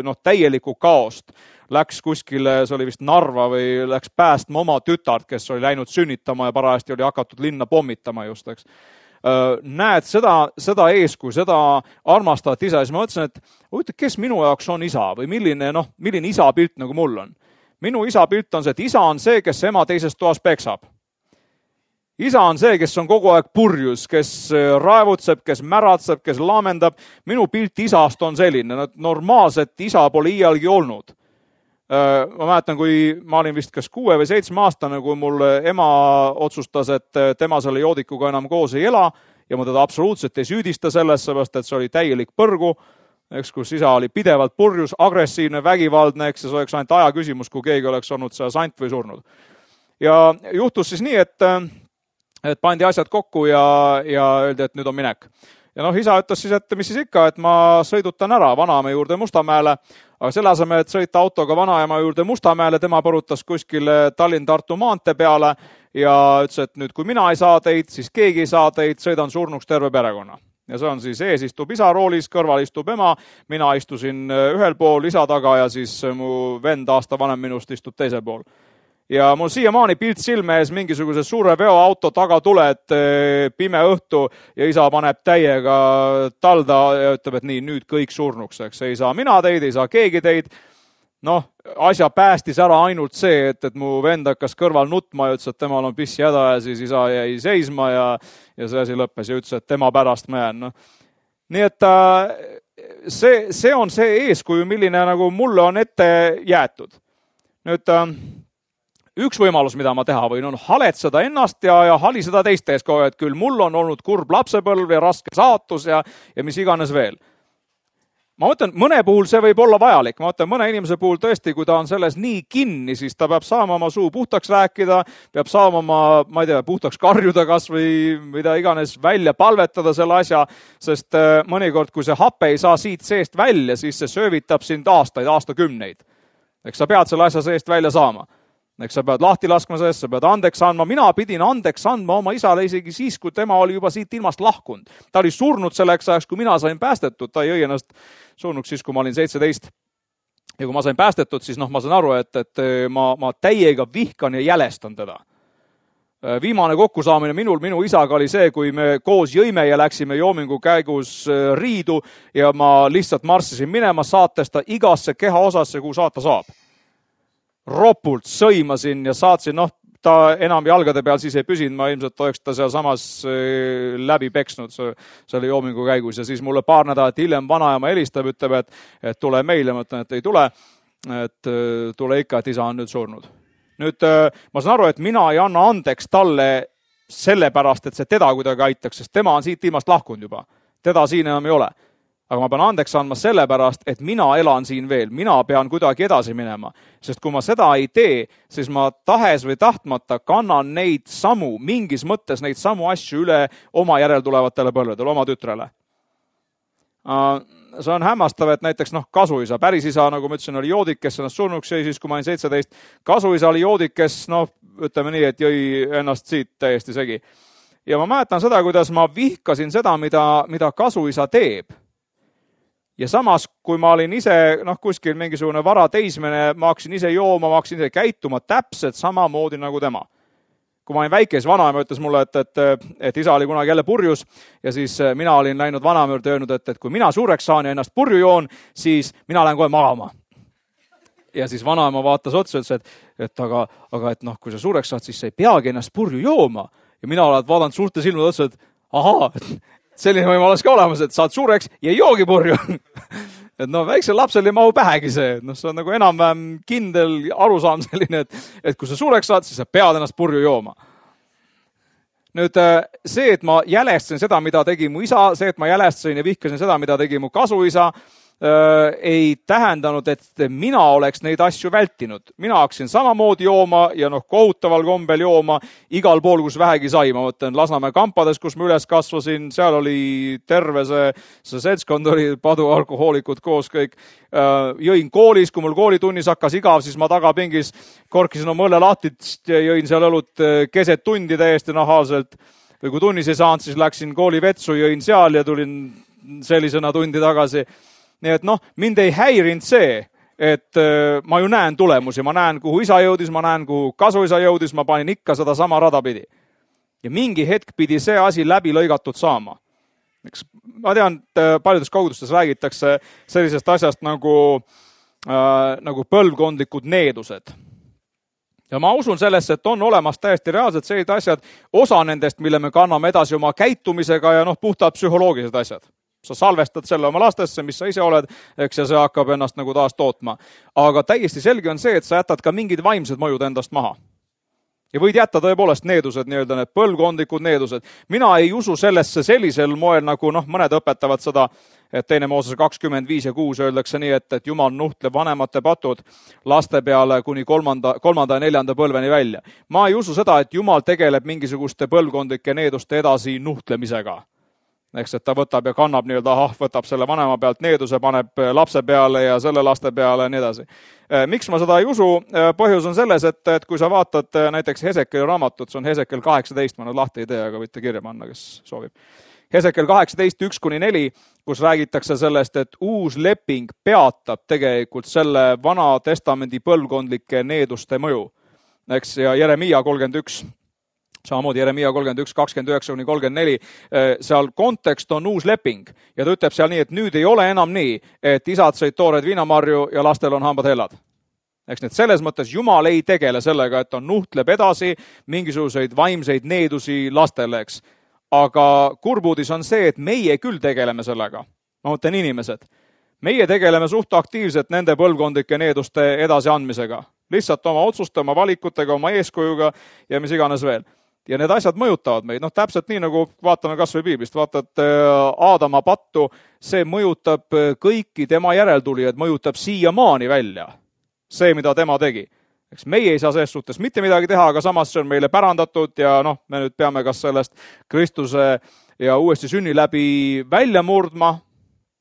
noh, täielikku kaost. Läks kuskile, see oli vist Narva või läks päästma oma tütart, kes oli läinud sünnitama ja parajasti oli hakatud linna pommitama just, eks. Näed seda, seda eeskuju, seda armastavat isa, siis ma mõtlesin, et huvitav, kes minu jaoks on isa või milline, noh, milline isa pilt nagu mul on. Minu isa pilt on see, et isa on see, kes ema teises toas peksab. Isa on see, kes on kogu aeg purjus, kes raevutseb, kes märatseb, kes laamendab. Minu pilt isast on selline, normaalset isa pole iialgi olnud. Ma mäletan, kui ma olin vist kas kuue või seitsme aastane, kui mul ema otsustas, et tema selle joodikuga enam koos ei ela ja ma teda absoluutselt ei süüdista selles, seepärast, et see oli täielik põrgu, eks, kus isa oli pidevalt purjus, agressiivne, vägivaldne, eks, see oleks ainult aja küsimus, kui keegi oleks olnud see sant või surnud. Ja juhtus siis nii, et, et pandi asjad kokku ja, ja öeldi, et nüüd on minek. Ja noh, isa ütles siis, et mis siis ikka, et ma sõidutan ära Vanamäe juurde Mustamäele, aga selle asemel, et sõita autoga Vanaema juurde Mustamäele, tema põrutas kuskile Tallinn-Tartu maantee peale ja ütles, et nüüd kui mina ei saa teid, siis keegi ei saa teid, sõidan surnuks terve perekonna. Ja see on siis ees istub isa roolis, kõrval istub ema, mina istusin ühel pool isa taga ja siis mu vend aasta vanem minust istub teisel pool. Ja mul siiamaani pilt silme ees mingisuguse suure veoauto taga tuled, pime õhtu ja isa paneb täiega talda ja ütleb, et nii, nüüd kõik surnuks, eks. Ei saa mina teid, ei saa keegi teid. Noh, asja päästis ära ainult see, et, et mu vend hakkas kõrval nutma ja ütles, et temal on pissi häda ja siis isa jäi seisma ja, ja see asi lõppes ja ütles, et tema pärast ma jään. No. Nii et see, see on see eeskuju, milline nagu mulle on ette jäetud. Nüüd üks võimalus, mida ma teha võin, on haletseda ennast ja, ja haliseda teiste ees kogu, et küll mul on olnud kurb lapsepõlv ja raske saatus ja, ja mis iganes veel. Ma mõtlen, mõne puhul see võib olla vajalik. Ma mõtlen, mõne inimese puhul tõesti, kui ta on selles nii kinni, siis ta peab saama oma suu puhtaks rääkida, peab saama oma, ma ei tea, puhtaks karjuda kas või mida iganes välja palvetada selle asja, sest mõnikord, kui see hape ei saa siit seest välja, siis see söövitab sind aastaid, aastakümneid. Eks sa pead selle asja seest välja saama. Eks sa pead lahti laskma sellest, sa pead andeks andma. Mina pidin andeks andma oma isale isegi siis, kui tema oli juba siit ilmast lahkunud. Ta oli surnud selleks ajaks, kui mina sain päästetud. Ta ei õi ennast surnuks siis, kui ma olin seitseteist. Ja kui ma sain päästetud, siis noh, ma sain aru, et, et ma, ma täiega vihkan ja jälestan teda. Viimane kokkusaamine minul, minu isaga oli see, kui me koos jõime ja läksime joomingu käigus riidu ja ma lihtsalt marssisin minema, saates ta igasse keha osasse, kuhu saata saab. Ropult sõimasin ja saatsin, noh, ta enam jalgade peal siis ei püsinud, ma ilmselt oleks ta seal samas läbi peksnud, see oli joomingu käigus ja siis mulle paar nädalat hiljem vanaema helistab, ütleb, et, et tule meile, ma ütlen, et ei tule, et tule ikka, et isa on nüüd surnud. Nüüd ma saan aru, et mina ei anna andeks talle sellepärast, et see teda kuidagi aitaks, sest tema on siit ilmast lahkunud juba. Teda siin enam ei ole. Aga ma pean andeks andma sellepärast, et mina elan siin veel. Mina pean kuidagi edasi minema. Sest kui ma seda ei tee, siis ma tahes või tahtmata kannan neid samu, mingis mõttes neid samu asju üle oma järeltulevatele põlvedele, oma tütrele. See on hämmastav, et näiteks noh, kasuisa, päris isa, nagu ma ütlesin, oli joodik, kes ennast surnuks jäi siis, kui ma olin seitseteist. Kasuisa oli joodik, kes, noh, ütleme nii, et jõi ennast siit täiesti segi. Ja ma mäletan seda, kuidas ma vihkasin seda, mida, mida kasuisa teeb. Ja samas, kui ma olin ise, noh, kuskil mingisugune vara teismene, ma hakkasin ise jooma, ma hakkasin ise käituma täpselt samamoodi nagu tema. Kui ma olin väike, siis vanaema ütles mulle, et, et, et isa oli kunagi jälle purjus ja siis mina olin läinud vanaema juurde öelnud, et, et kui mina suureks saan ja ennast purju joon, siis mina lähen kohe magama. Ja siis vanaema vaatas otsa ja ütles, et, et aga, aga et noh, kui sa suureks saad, siis sa ei peagi ennast purju jooma. Ja mina olen vaadanud suurte silmad otsa, et aha, selline võimalus ka olemas, et saad suureks ja ei joogi purju. Et no väiksel lapsel ei mahu pähegi see, no see on nagu enam-vähem kindel arusaam selline, et, et kui sa suureks saad, siis sa pead ennast purju jooma. Nüüd see, et ma jälestasin seda, mida tegi mu isa, see, et ma jälestasin ja vihkasin seda, mida tegi mu kasuisa, ei tähendanud, et mina oleks neid asju vältinud. Mina hakkasin samamoodi jooma ja noh, kohutaval kombel jooma igal pool, kus vähegi sai. Ma mõtlen Lasnamäe kampades, kus ma üles kasvasin, seal oli terve see, see seltskond oli padu alkohoolikud koos kõik. Jõin koolis, kui mul koolitunnis hakkas igav, siis ma tagapingis korkisin oma õlle lahtist ja jõin seal õlut keset tundi täiesti nahaalselt. Või kui tunnis ei saanud, siis läksin kooli vetsu, jõin seal ja tulin sellisena tundi tagasi. Nii et noh, mind ei häirinud see, et ma ju näen tulemusi, ma näen, kuhu isa jõudis, ma näen, kuhu kasuisa jõudis, ma panin ikka seda sama rada pidi. Ja mingi hetk pidi see asi läbi lõigatud saama. Ma tean, et paljudes kogudustes räägitakse sellisest asjast nagu, äh, nagu põlvkondlikud needused. Ja ma usun sellesse, et on olemas täiesti reaalsed sellised asjad, osa nendest, mille me kanname edasi oma käitumisega ja noh, puhtalt psühholoogilised asjad. Sa salvestad selle oma lastesse, mis sa ise oled, eks ja see hakkab ennast nagu taas tootma. Aga täiesti selge on see, et sa jätad ka mingid vaimsed mõjud endast maha. Ja võid jätta tõepoolest needused, nii-öelda need põlvkondlikud needused. Mina ei usu sellesse sellisel moel, nagu noh, mõned õpetavad seda, et teine Mooses kakskümmend viis ja kuus öeldakse nii, et, et Jumal nuhtleb vanemate patud laste peale kuni kolmanda, kolmanda ja neljanda põlveni välja. Ma ei usu seda, et Jumal tegeleb mingisuguste põlvkondlike needuste edasi nuhtlemisega. Eks, et ta võtab ja kannab nii-öelda, ahah, võtab selle vanema pealt needuse, paneb lapse peale ja selle laste peale ja nii edasi. Miks ma seda ei usu? Põhjus on selles, et, et kui sa vaatad näiteks Hesekeli raamatut, see on Hesekel kaheksateist, ma nüüd lahti ei tee, aga võite kirja panna, kes soovib. Hesekel kaheksateist, üks kuni neli, kus räägitakse sellest, et uus leping peatab tegelikult selle vana testamendi põlvkondlike needuste mõju. Eks, ja Jeremia kolmkümmend üks. Samamoodi Jeremia kolmkümmend üks, kakskümmend üheksa kuni kolmkümmend neli, seal kontekst on uus leping ja ta ütleb seal nii, et nüüd ei ole enam nii, et isad sõid toored viinamarju ja lastel on hambad hellad. Eks need selles mõttes Jumal ei tegele sellega, et on nuhtleb edasi mingisuguseid vaimseid needusi lastele, eks. Aga kurbudis on see, et meie küll tegeleme sellega. Ma mõtlen inimesed. Meie tegeleme suht aktiivselt nende põlvkondlike needuste edasi andmisega. Lihtsalt oma otsuste, oma valikutega, oma eeskujuga ja mis iganes veel. Ja need asjad mõjutavad meid. Noh, täpselt nii, nagu vaatame kas või piiblist. Vaatad Aadama pattu, see mõjutab kõiki tema järeltulijad, mõjutab siiamaani välja. See, mida tema tegi. Eks meie ei saa selles suhtes mitte midagi teha, aga samas see on meile pärandatud ja noh, me nüüd peame kas sellest Kristuse ja uuesti sünni läbi välja murdma.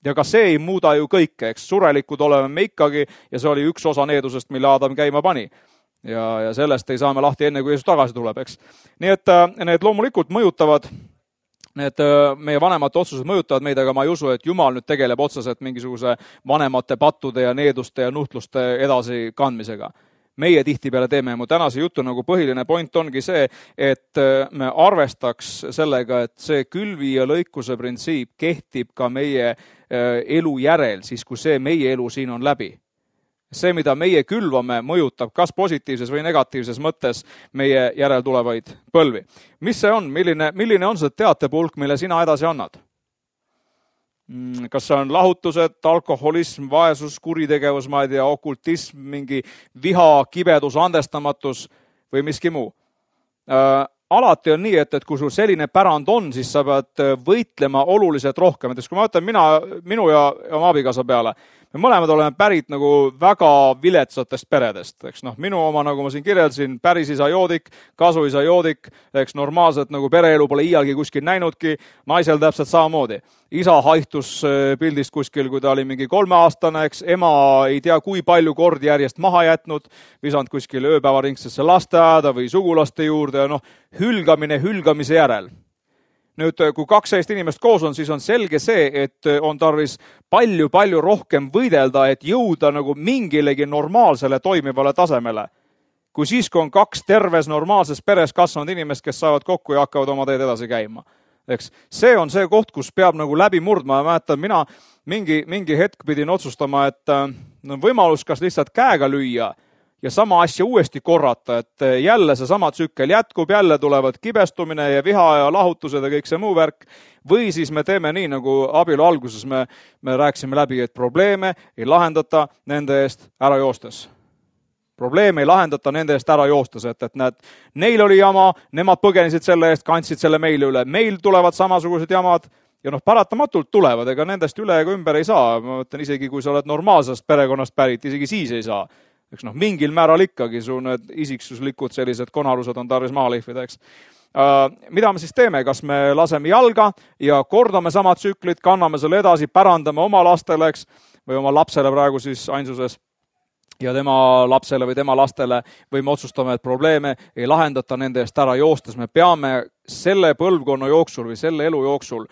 Ja ka see ei muuda ju kõike, eks surelikud oleme me ikkagi ja see oli üks osa needusest, mille Aadam käima pani. Ja, ja sellest ei saa me lahti enne, kui Jeesus tagasi tuleb, eks. Nii et need loomulikult mõjutavad, need meie vanemate otsused mõjutavad meid, aga ma ei usu, et Jumal nüüd tegeleb otseselt mingisuguse vanemate pattude ja needuste ja nuhtluste edasi kandmisega. meie tihtipeale teeme. Mu tänase jutu nagu põhiline point ongi see, et me arvestaks sellega, et see külvi ja lõikuse printsiip kehtib ka meie elu järel, siis kui see meie elu siin on läbi. See, mida meie külvame, mõjutab kas positiivses või negatiivses mõttes meie järel tulevaid põlvi. Mis see on? Milline, milline on see teatepulk, mille sina edasi annad? Kas see on lahutused, alkoholism, vaesus, kuritegevus, ma ei tea, okultism, mingi viha, kibedus, andestamatus või miski muu? Äh, alati on nii, et, et kui sul selline pärand on, siis sa pead võitlema oluliselt rohkem. Et kui ma võtan mina, minu ja oma abikaasa peale, me mõlemad oleme pärit nagu väga viletsatest peredest. Eks noh, minu oma, nagu ma siin kirjeldasin, päris isa joodik, kasu isa joodik, eks normaalselt nagu pereelu pole iialgi kuskil näinudki, naisel täpselt samamoodi. Isa haihtus pildist kuskil, kui ta oli mingi kolmeaastane, eks ema ei tea kui palju kordi järjest maha jätnud, visanud kuskil ööpäevaringsesse lasteaeda või sugulaste juurde ja noh, hülgamine hülgamise järel. Nüüd, kui kaks sellist inimest koos on, siis on selge see, et on tarvis palju-palju rohkem võidelda, et jõuda nagu mingilegi normaalsele toimivale tasemele. Kui siis, kui on kaks terves normaalses peres kasvanud inimest, kes saavad kokku ja hakkavad oma teed edasi käima. Eks, see on see koht, kus peab nagu läbi murdma ja mäletan, mina mingi, mingi hetk pidin otsustama, et no, võimalus kas lihtsalt käega lüüa ja sama asja uuesti korrata, et jälle see sama tsükkel jätkub, jälle tulevad kibestumine ja viha ja lahutused ja kõik see muu värk. Või siis me teeme nii, nagu abielu alguses me, me rääkisime läbi, et probleeme ei lahendata nende eest ära joostes. Probleeme ei lahendata nende eest ära joostes, et, et näed, neil oli jama, nemad põgenesid selle eest, kandsid selle meile üle. Meil tulevad samasugused jamad ja noh, paratamatult tulevad, ega nendest üle ega ümber ei saa. Ma mõtlen, isegi kui sa oled normaalsest perekonnast pärit, isegi siis ei saa. Eks noh, mingil määral ikkagi su need isiksuslikud sellised konalused on tarvis maha lihvida, eks. Uh, mida me siis teeme? Kas me laseme jalga ja kordame sama tsüklit, kanname selle edasi, pärandame oma lastele, eks, või oma lapsele praegu siis ainsuses ja tema lapsele või tema lastele, või me otsustame, et probleeme ei lahendata nende eest ära joostes. Me peame selle põlvkonna jooksul või selle elu jooksul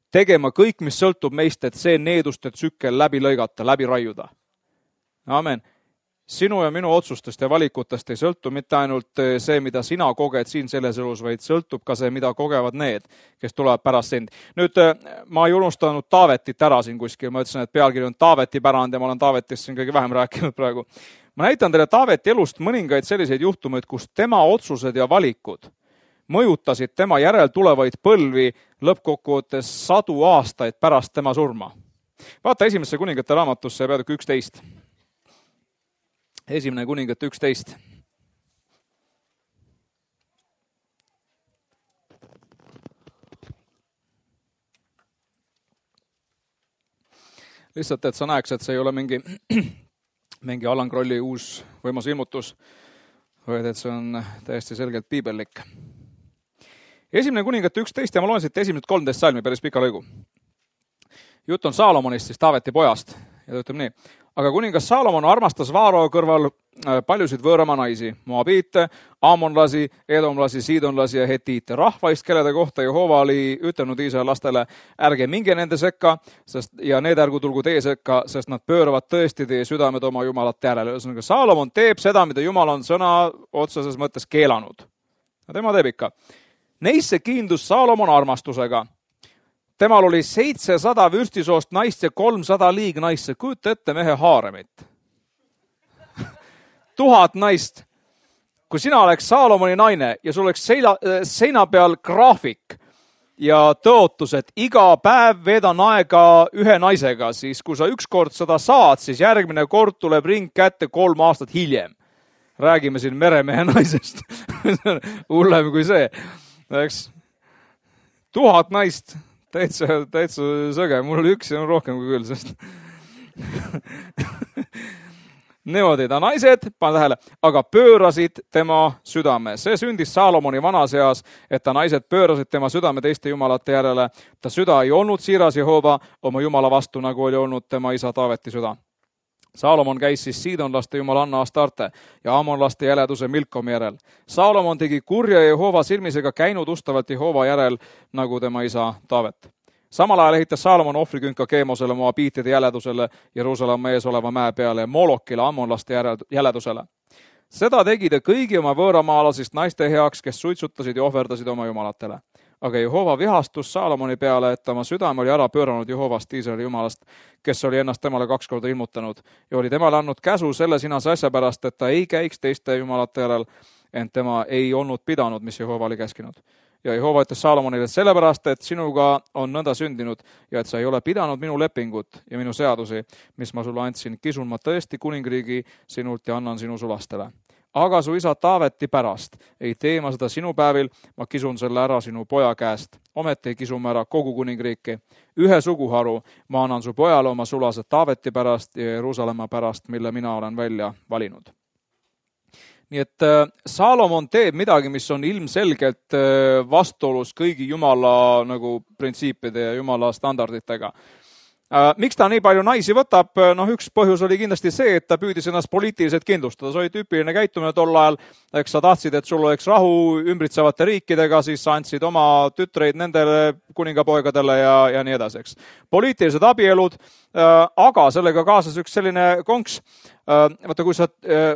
tegema kõik, mis sõltub meist, et see needuste tsükkel läbi lõigata, läbi raiuda. Amen. Sinu ja minu otsustest ja valikutest ei sõltu mitte ainult see, mida sina koged siin selles elus, vaid sõltub ka see, mida kogevad need, kes tulevad pärast sind. Nüüd ma ei unustanud Taavetit ära siin kuskil, ma ütlesin, et pealkiri on Taaveti pärand ja ma olen Taavetist siin kõige vähem rääkinud praegu. Ma näitan teile Taaveti elust mõningaid selliseid juhtumeid, kus tema otsused ja valikud mõjutasid tema järel tulevaid põlvi lõppkokkuvõttes sadu aastaid pärast tema surma. Vaata esimesse kuningate raamatusse peatükk üksteist. Esimene kuningate üksteist. Lihtsalt, et sa näeks, et see ei ole mingi, mingi Alan Krolli uus võimas ilmutus, vaid et see on täiesti selgelt piibellik. Esimene kuningate üksteist ja ma loen siit esimesed kolmteist salmi päris pika lõigu. Jutt on Saalomonist, siis Taaveti pojast ja ta ütleb nii. Aga kuningas Saalomon armastas Vaaro kõrval paljusid võõrama naisi, moabiite, aamonlasi, edomlasi, siidonlasi ja hetiite. Rahvaist, kellede kohta Jehova oli ütelnud Iisraeli lastele, ärge minge nende sekka, sest, ja need ärgu tulgu teie sekka, sest nad pööravad tõesti teie südamed oma jumalat järele. Ühesõnaga, Saalomon teeb seda, mida Jumal on sõna otseses mõttes keelanud. Ja tema teeb ikka. Neisse kiindus Saalomon armastusega. Temal oli seitsesada vürstisoost naist ja kolmsada liignaisse. Kujuta ette mehe haaremit. Tuhat naist. Kui sina oleks Saalomoni naine ja sul oleks seina, seina peal graafik ja tõotus, et iga päev veedan aega ühe naisega, siis kui sa ükskord seda saad, siis järgmine kord tuleb ring kätte kolm aastat hiljem. Räägime siin meremehe naisest. Hullem kui see. Eks? Tuhat naist. Täitsa, täitsa sõge. Mul oli üks ja on rohkem kui küll, sest niimoodi ta naised, pane tähele, aga pöörasid tema südame. See sündis Saalomoni vanas eas, et ta naised pöörasid tema südame teiste jumalate järele. Ta süda ei olnud siiras Jehova oma jumala vastu, nagu oli olnud tema isa Taaveti süda. Saalomon käis siis siidonlaste jumalanna Astarte ja aamonlaste jäleduse Milkomi järel. Saalomon tegi kurja Jehova silmisega käinud ustavalt Jehova järel, nagu tema isa Taavet. Samal ajal ehitas Saalomon ohvrikünka Keemosele, Moabiitide jäledusele, Jeruusalemma ees oleva mäe peale ja Molokile, ammonlaste jäledusele. Seda tegi ta kõigi oma võõramaalasist naiste heaks, kes suitsutasid ja ohverdasid oma jumalatele. Aga Jehova vihastus Saalomoni peale, et oma südame oli ära pööranud Jehovast, Iisraeli jumalast, kes oli ennast temale kaks korda ilmutanud ja oli temale andnud käsu selle sinase asja pärast, et ta ei käiks teiste jumalate järel, ent tema ei olnud pidanud, mis Jehova oli käskinud. Ja Jehova ütles Saalomonile sellepärast, et sinuga on nõnda sündinud ja et sa ei ole pidanud minu lepingut ja minu seadusi, mis ma sulle andsin, kisun ma tõesti kuningriigi sinult ja annan sinu sulastele. Aga su isa Taaveti pärast ei tee ma seda sinu päevil, ma kisun selle ära sinu poja käest. Ometi kisume ära kogu kuningriiki. Ühe suguharu ma annan su pojale oma sulased Taaveti pärast ja Jeruusalemma pärast, mille mina olen välja valinud. Nii et Saalomon teeb midagi, mis on ilmselgelt vastuolus kõigi Jumala nagu printsiipide ja Jumala standarditega. Miks ta nii palju naisi võtab? Noh, üks põhjus oli kindlasti see, et ta püüdis ennast poliitiliselt kindlustada. See oli tüüpiline käitumine tol ajal. Eks sa tahtsid, et sul oleks rahu ümbritsevate riikidega, siis sa andsid oma tütreid nendele kuningapoegadele ja, ja nii edasi, eks. Poliitilised abielud, aga sellega kaasas üks selline konks. Vaata, kui sa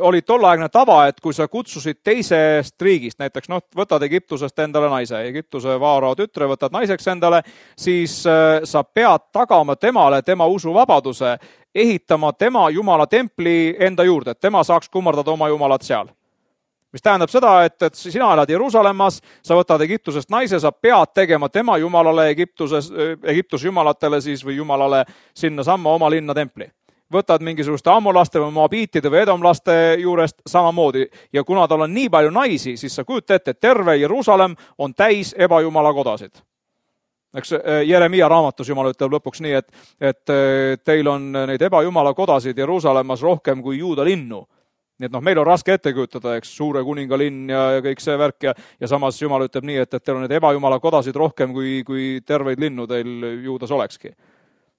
oli tollaegne tava, et kui sa kutsusid teisest riigist, näiteks noh, võtad Egiptusest endale naise, Egiptuse vaarao tütre võtad naiseks endale, siis sa pead tagama temale tema usuvabaduse, ehitama tema Jumala templi enda juurde, et tema saaks kummardada oma Jumalat seal. Mis tähendab seda, et, et sina elad Jeruusalemmas, sa võtad Egiptusest naise, sa pead tegema tema Jumalale Egiptuses, Egiptuse Jumalatele siis või Jumalale sinna samma oma linna templi. Võtad mingisuguste ammolaste või moabiitide või edomlaste juurest samamoodi. Ja kuna tal on nii palju naisi, siis sa kujuta ette, et terve Jeruusalem on täis ebajumala kodasid. Eks Jeremia raamatus Jumal ütleb lõpuks nii, et, et teil on neid ebajumala kodasid Jeruusalemmas rohkem kui Juuda linnu. Nii et noh, meil on raske ette kujutada, eks, suure kuningalinn ja, ja kõik see värk ja, ja samas Jumal ütleb nii, et, et teil on neid ebajumala kodasid rohkem kui, kui terveid linnu teil Juudas olekski.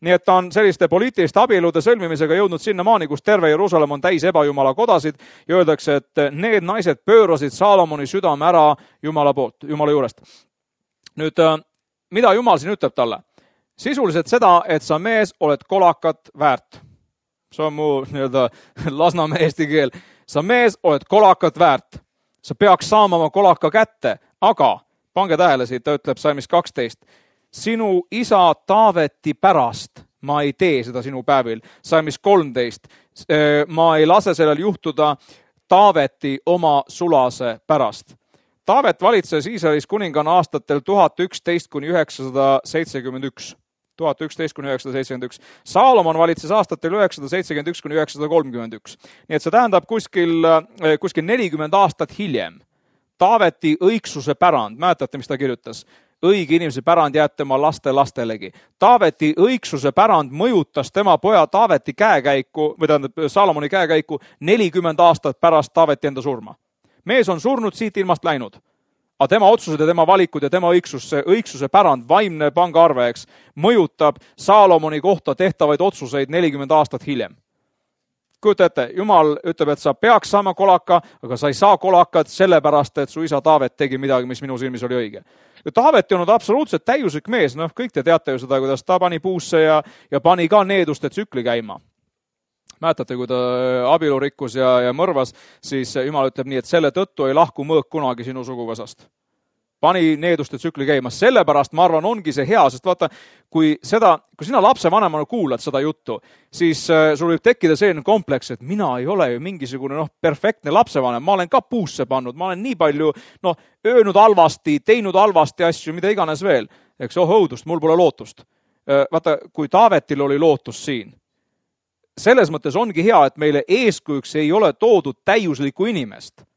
Nii et ta on selliste poliitiliste abielude sõlmimisega jõudnud sinnamaani, kus terve Jeruusalem on täis ebajumala kodasid ja öeldakse, et need naised pöörasid Saalomoni südame ära Jumala poolt, Jumala juurest. Nüüd, mida Jumal siin ütleb talle? Sisuliselt seda, et sa mees oled kolakat väärt. See on mu nii-öelda lasnamäe eesti keel. Sa mees oled kolakat väärt. Sa peaks saama oma kolaka kätte, aga pange tähele siit, ta ütleb salmis kaksteist. Sinu isa Taaveti pärast ma ei tee seda sinu päevil. Salmis kolmteist. Ma ei lase sellel juhtuda Taaveti oma sulase pärast. Taavet valitses Iisraelis kuningana aastatel tuhat üksteist kuni üheksasada seitsekümmend üks. tuhat üksteist kuni üheksasada seitsekümmend üks. Saalomon valitses aastatel üheksasada seitsekümmend üks kuni üheksasada kolmkümmend üks. Nii et see tähendab kuskil, kuskil nelikümmend aastat hiljem. Taaveti õigsuse pärand, mäletate, mis ta kirjutas? Õige inimese pärand jääb tema laste lastelegi. Taaveti õigsuse pärand mõjutas tema poja Taaveti käekäiku, või tähendab Saalomoni käekäiku nelikümmend aastat pärast Taaveti enda surma. Mees on surnud, siit ilmast läinud. Aga tema otsused ja tema valikud ja tema õigsus, õigsuse pärand, vaimne pangaarve, eks, mõjutab Saalomoni kohta tehtavaid otsuseid nelikümmend aastat hiljem. Kujuta ette, Jumal ütleb, et sa peaks saama kolaka, aga sa ei saa kolakat sellepärast, et su isa Taavet tegi midagi, mis minu silmis oli õige. Taavet on absoluutselt täiuslik mees, noh, kõik te teate ju seda, kuidas ta pani puusse ja, ja pani ka needuste tsükli käima. Mäletate, kui ta abielu rikkus ja, ja mõrvas, siis Jumal ütleb nii, et selle tõttu ei lahku mõõk kunagi sinu suguvõsast. Pani needuste tsükli käima. Sellepärast, ma arvan, ongi see hea, sest vaata, kui, seda, kui sina lapsevanemana kuulad seda juttu, siis sul võib tekkida selline kompleks, et mina ei ole ju mingisugune noh, perfektne lapsevanem, ma olen ka puusse pannud, ma olen nii palju noh, öönud halvasti, teinud halvasti asju, mida iganes veel. Eks oh õudust, mul pole lootust. Vaata, kui Taavetil oli lootus siin, selles mõttes ongi hea, et meile eeskujuks ei ole toodud täiuslikku inimest.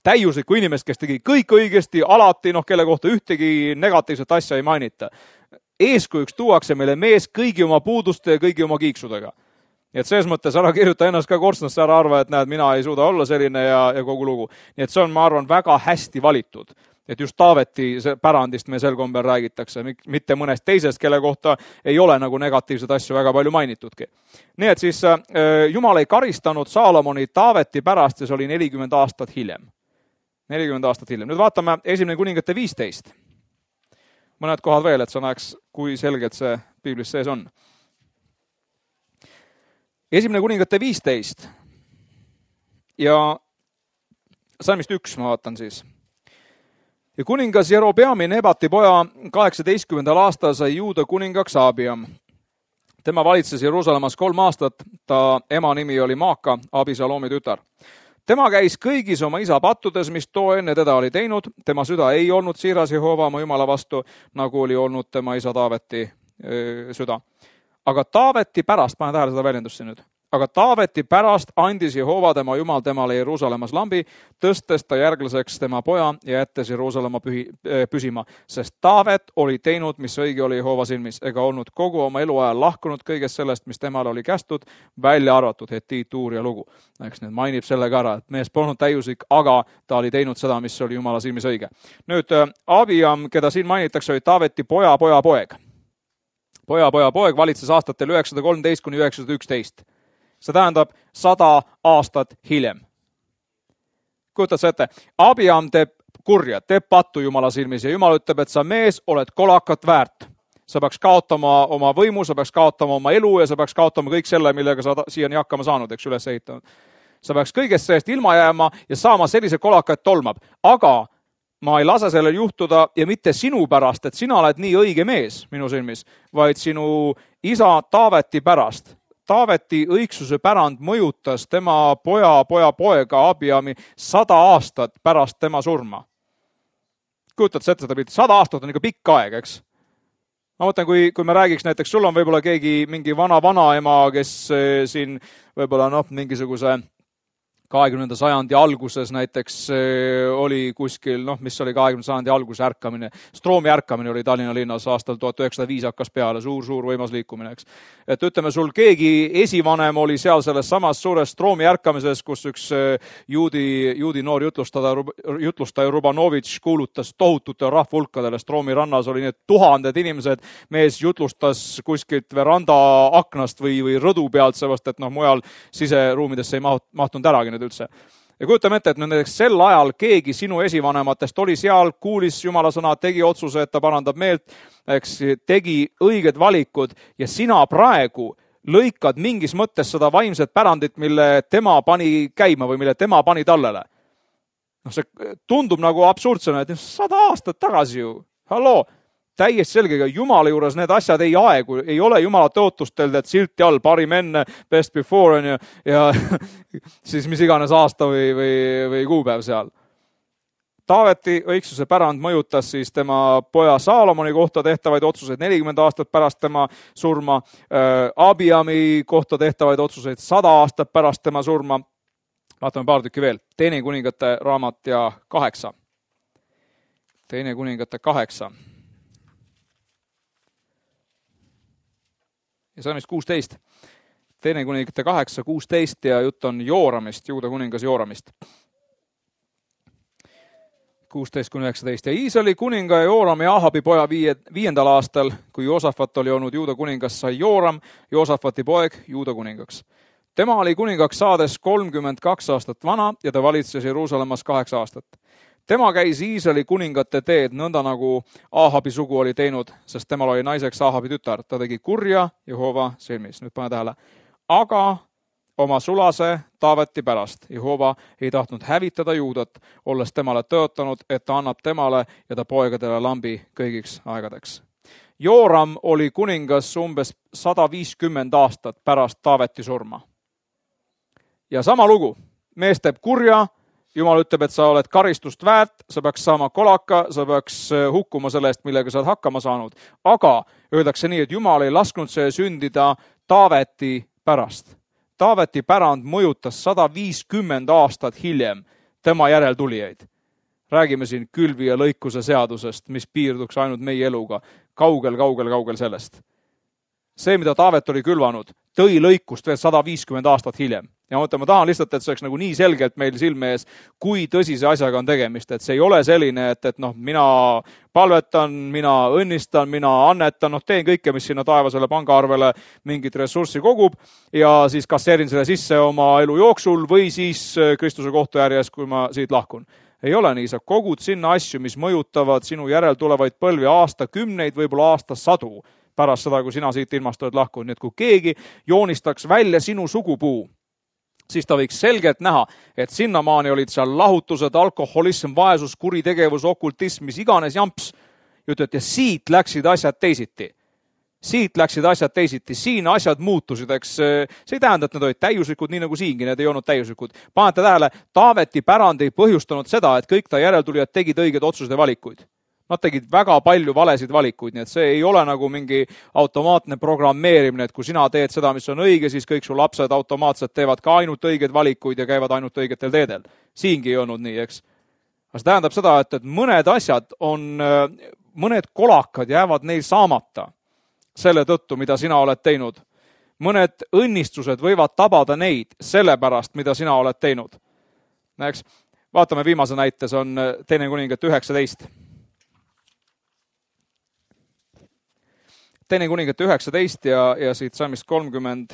Täiuslikku inimest, kes tegi kõik õigesti, alati, noh, kelle kohta ühtegi negatiivset asja ei mainita. Eeskujuks tuuakse meile mees kõigi oma puuduste ja kõigi oma kiiksudega. Nii et selles mõttes ära kirjuta ennast ka korstnasse, ära arva, et näed, mina ei suuda olla selline ja, ja kogu lugu. Nii et see on, ma arvan, väga hästi valitud. Et just Taaveti pärandist me sel kombel räägitakse, mitte mõnest teisest, kelle kohta ei ole nagu negatiivsed asju väga palju mainitudki. Nii et siis Jumal ei karistanud Saalomoni Taaveti pärast ja see oli nelikümmend aastat hiljem. nelikümmend aastat hiljem. Nüüd vaatame esimene kuningate viisteist. Mõned kohad veel, et sa näeks, kui selgelt see piiblis sees on. Esimene kuningate viisteist. Ja salmist üks ma vaatan siis. Ja kuningas Jerobeami Nebati poja kaheksateistkümnendal aastal sai Juuda kuningaks Abiam. Tema valitses Jeruusalemmas kolm aastat, ta ema nimi oli Maaka, Abisaloomi tütar. Tema käis kõigis oma isa pattudes, mis too enne teda oli teinud. Tema süda ei olnud siiras Jehova oma Jumala vastu, nagu oli olnud tema isa Taaveti öö, süda. Aga Taaveti pärast, panen tähele seda väljendust siin nüüd, aga Taaveti pärast andis Jehova tema Jumal temale Jeruusalemmas lambi, tõstes ta järglaseks tema poja ja jättes Jeruusalemma pühi, püsima, sest Taavet oli teinud, mis õige oli Jehova silmis, ega olnud kogu oma eluajal lahkunud kõigest sellest, mis temale oli kästud, välja arvatud Hetiit, Uur ja lugu. Eks nüüd mainib sellega ära, et mees polnud täiuslik, aga ta oli teinud seda, mis oli Jumala silmis õige. Nüüd Abiam, keda siin mainitakse, oli Taaveti poja, poja, poeg. Poja, poja, poeg valitses aastatel üheksasada kolmteist kuni üheksasada üksteist. See tähendab sada aastat hiljem. Kujutad sa ette, Abiam teeb kurja, teeb pattu Jumala silmis ja Jumal ütleb, et sa mees oled kolakat väärt. Sa peaks kaotama oma võimu, sa peaks kaotama oma elu ja sa peaks kaotama kõik selle, millega sa siiani hakkama saanud, eks üles ehitanud. Sa peaks kõigest sellest ilma jääma ja saama sellise kolaka, et tolmab. Aga ma ei lase sellel juhtuda ja mitte sinu pärast, et sina oled nii õige mees minu silmis, vaid sinu isa Taaveti pärast. Taaveti õigsuse pärand mõjutas tema poja, poja, poega Abiami sada aastat pärast tema surma. Kujutad sa ette seda pilti? Sada aastat on ikka pikk aeg, eks? Ma mõtlen, kui, kui me räägiks näiteks, sul on võib-olla keegi mingi vana vanaema, kes siin võib-olla noh, mingisuguse kahekümnenda sajandi alguses näiteks oli kuskil, noh, mis oli kahekümnenda sajandi alguse ärkamine. Stroomi ärkamine oli Tallinna linnas aastal tuhat üheksasada viis hakkas peale, suur, suur võimas liikumine, eks. Et ütleme, sul keegi esivanem oli seal selles samas suures Stroomi ärkamises, kus üks juudi, juudi noor jutlustaja, jutlustaja Rubanovitš kuulutas tohutute rahvulkadele. Stroomi rannas oli need tuhanded inimesed, mees jutlustas kuskilt veranda aknast või, või rõdu pealt, seepärast, et noh, mujal siseruumidesse ei mahtunud äragi üldse. Ja kujutame ette, et näiteks sel ajal keegi sinu esivanematest oli seal, kuulis Jumala sõna, tegi otsuse, et ta parandab meelt, eks, tegi õiged valikud ja sina praegu lõikad mingis mõttes seda vaimset pärandit, mille tema pani käima või mille tema pani tallele. No see tundub nagu absurdsena, et sada aastat tagasi ju, halloo, täiesti selgega, Jumala juures need asjad ei aegu, ei ole Jumala tõotustel, et silti all, parim enne, best before on ju, ja siis mis iganes aasta või, või, või kuupäev seal. Taaveti õigsuse pärand mõjutas siis tema poja Saalomoni kohta tehtavaid otsuseid nelikümmend aastat pärast tema surma, Abiami kohta tehtavaid otsuseid sada aastat pärast tema surma. Vaatame paar tükki veel. Teine kuningate raamat ja kaheksa. Teine kuningate kaheksa. Ja salmist kuusteist. Teine kuningate kaheksa, kuusteist ja jutt on Jooramist, Juuda kuningas Jooramist. kuusteist kuni üheksateist. Ja Iisraeli kuninga Jooram ja Ahabi poja viie, viiendal aastal, kui Joosafat oli olnud Juuda kuningas, sai Jooram, Joosafati poeg, Juuda kuningaks. Tema oli kuningaks saades kolmkümmend kaks aastat vana ja ta valitses Jeruusalemmas kaheksa aastat. Tema käis Iisraeli kuningate teed, nõnda nagu Ahabi sugu oli teinud, sest temal oli naiseks Ahabi tütar. Ta tegi kurja Jehova silmis. Nüüd pane tähele. Aga oma sulase Taaveti pärast Jehova ei tahtnud hävitada Juudat, olles temale tõotanud, et ta annab temale ja ta poegadele lambi kõigiks aegadeks. Jooram oli kuningas umbes sada viiskümmend aastat pärast Taaveti surma. Ja sama lugu. Mees teeb kurja, Jumal ütleb, et sa oled karistust väärt, sa peaks saama kolaka, sa peaks hukkuma selle eest, millega sa oled hakkama saanud. Aga öeldakse nii, et Jumal ei lasknud see sündida Taaveti pärast. Taaveti pärand mõjutas sada viiskümmend aastat hiljem tema järeltulijaid. Räägime siin külvi ja lõikuse seadusest, mis piirduks ainult meie eluga. Kaugel, kaugel, kaugel sellest. See, mida Taavet oli külvanud, tõi lõikust veel sada viiskümmend aastat hiljem. Ja mõtlen, ma tahan lihtsalt, et see oleks nagu nii selgelt meil silme ees, kui tõsise asjaga on tegemist. Et see ei ole selline, et, et noh, mina palvetan, mina õnnistan, mina annetan, noh, teen kõike, mis sinna taevasele pangaarvele mingit ressurssi kogub ja siis kasseerin selle sisse oma elu jooksul või siis Kristuse kohtuärjes, kui ma siit lahkun. Ei ole nii, sa kogud sinna asju, mis mõjutavad sinu järel tulevaid põlvi aasta kümneid, võib-olla aasta sadu pärast seda, kui sina siit ilmast oled lahkunud. Nii et kui keegi joonistaks välja sinu sugupuu, siis ta võiks selgelt näha, et sinnamaani olid seal lahutused, alkoholism, vaesus, kuritegevus, okultism, mis iganes jamps. Ütled, ja siit läksid asjad teisiti. Siit läksid asjad teisiti. Siin asjad muutusid, eks see ei tähenda, et need olid täiuslikud, nii nagu siingi, need ei olnud täiuslikud. Panete tähele, Taaveti pärand ei põhjustanud seda, et kõik ta järeltulijad tegid õiged otsused ja valikuid. Nad tegid väga palju valesid valikuid, nii et see ei ole nagu mingi automaatne programmeerimine, et kui sina teed seda, mis on õige, siis kõik su lapsed automaatselt teevad ka ainult õiged valikuid ja käivad ainult õigetel teedel. Siingi ei olnud nii, eks. Aga see tähendab seda, et, et mõned asjad on, mõned kolakad jäävad neil saamata selle tõttu, mida sina oled teinud. Mõned õnnistused võivad tabada neid selle pärast, mida sina oled teinud. Eks, vaatame viimase näite, see on Teine kuningate üheksateist. Teine kuningate üheksateist ja, ja siit salmist kolmkümmend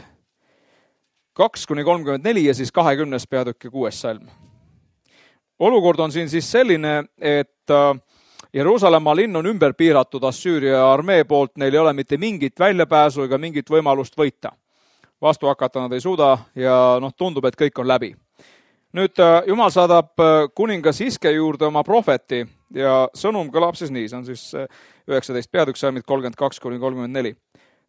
kaks kuni kolmkümmend neli ja siis kahekümnes peatükk ja kuues salm. Olukord on siin siis selline, et Jeruusalemma linn on ümber piiratud Assüüria armee poolt, neil ei ole mitte mingit väljapääsu ega mingit võimalust võita. Vastu hakata nad ei suuda ja noh, tundub, et kõik on läbi. Nüüd Jumal saadab kuningas Hiske juurde oma prohveti ja sõnum kõlab siis nii, see on siis üheksateist peatükk salmid kolmkümmend kaks kuni kolmkümmend neli.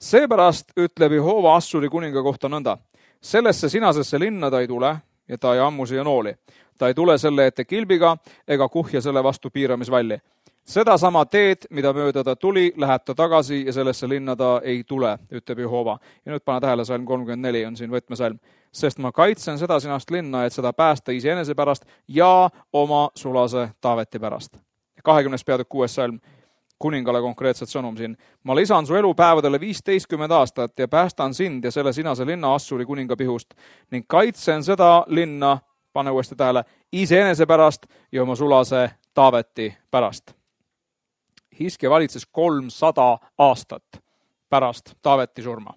Seepärast ütleb Jehova Assuri kuninga kohta nõnda. Sellesse sinasesse linna ta ei tule ja ta ei ammu siia nooli. Ta ei tule selle ette kilbiga ega kuhja selle vastu piiramisvalli. Seda sama teed, mida mööda ta tuli, läheb ta tagasi ja sellesse linna ta ei tule, ütleb Jehova. Ja nüüd pane tähele, salm kolmkümmend neli on siin võtmesalm. Sest ma kaitsen seda sinast linna, et seda päästa iseenese pärast ja oma sulase Taaveti pärast. kahekümnes peatükk kuues salm. Kuningale konkreetset sõnum siin. Ma lisan su elupäevadele viisteistkümmend aastat ja päästan sind ja selle sinase linna Assuri kuninga pihust ning kaitsen seda linna, pane uuesti tähele, iseenese pärast ja oma sulase Taaveti pärast. Hiske valitses kolmsada aastat pärast Taaveti surma.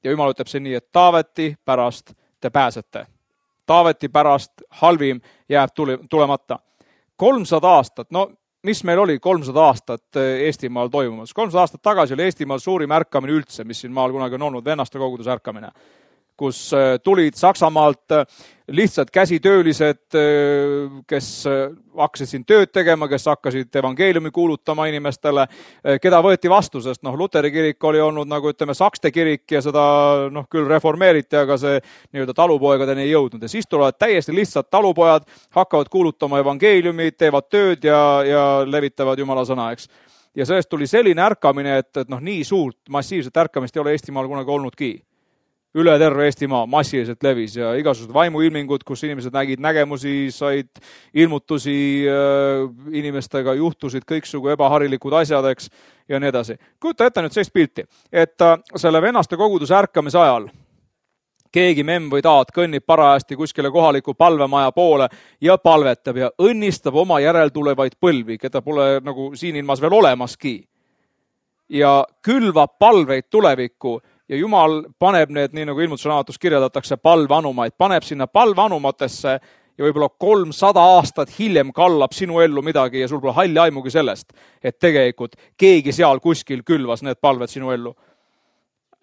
Ja Jumal ütleb see nii, et Taaveti pärast te pääsete. Taaveti pärast halvim jääb tulemata. kolmsada aastat, no mis meil oli kolmsada aastat Eestimaal toimumas? kolmsada aastat tagasi oli Eestimaal suurim ärkamine üldse, mis siin maal kunagi on olnud, vennaste koguduse ärkamine, kus tulid Saksamaalt lihtsalt käsitöölised, kes hakkasid siin tööd tegema, kes hakkasid evangeeliumi kuulutama inimestele, keda võeti vastu, sest noh, Luteri kirik oli olnud nagu ütleme Sakste kirik ja seda noh, küll reformeeriti, aga see nii-öelda talupoegadeni ei jõudnud. Ja siis tulevad täiesti lihtsalt talupojad, hakkavad kuulutama evangeeliumi, teevad tööd ja, ja levitavad Jumala sõna, eks. Ja sellest tuli selline ärkamine, et, et noh, nii suurt massiivset ärkamist ei ole Eestimaal kunagi olnudki. Üle terve Eestimaa massiliselt levis ja igasugused vaimuilmingud, kus inimesed nägid nägemusi, said ilmutusi, inimestega juhtusid kõiksugu ebaharilikud asjad, eks, ja nii edasi. Kujuta ette nüüd sellist pilti, et selle vennaste koguduse ärkamise ajal keegi memm või taat kõnnib parajasti kuskile kohaliku palvemaja poole ja palvetab ja õnnistab oma järeltulevaid põlvi, keda pole nagu siin ilmas veel olemaski. Ja külvab palveid tulevikku. Ja Jumal paneb need, nii nagu ilmutusraamatus kirjeldatakse, palveanumaid, paneb sinna palveanumatesse ja võib-olla kolmsada aastat hiljem kallab sinu ellu midagi ja sul pole halli aimugi sellest, et tegelikult keegi seal kuskil külvas need palved sinu ellu.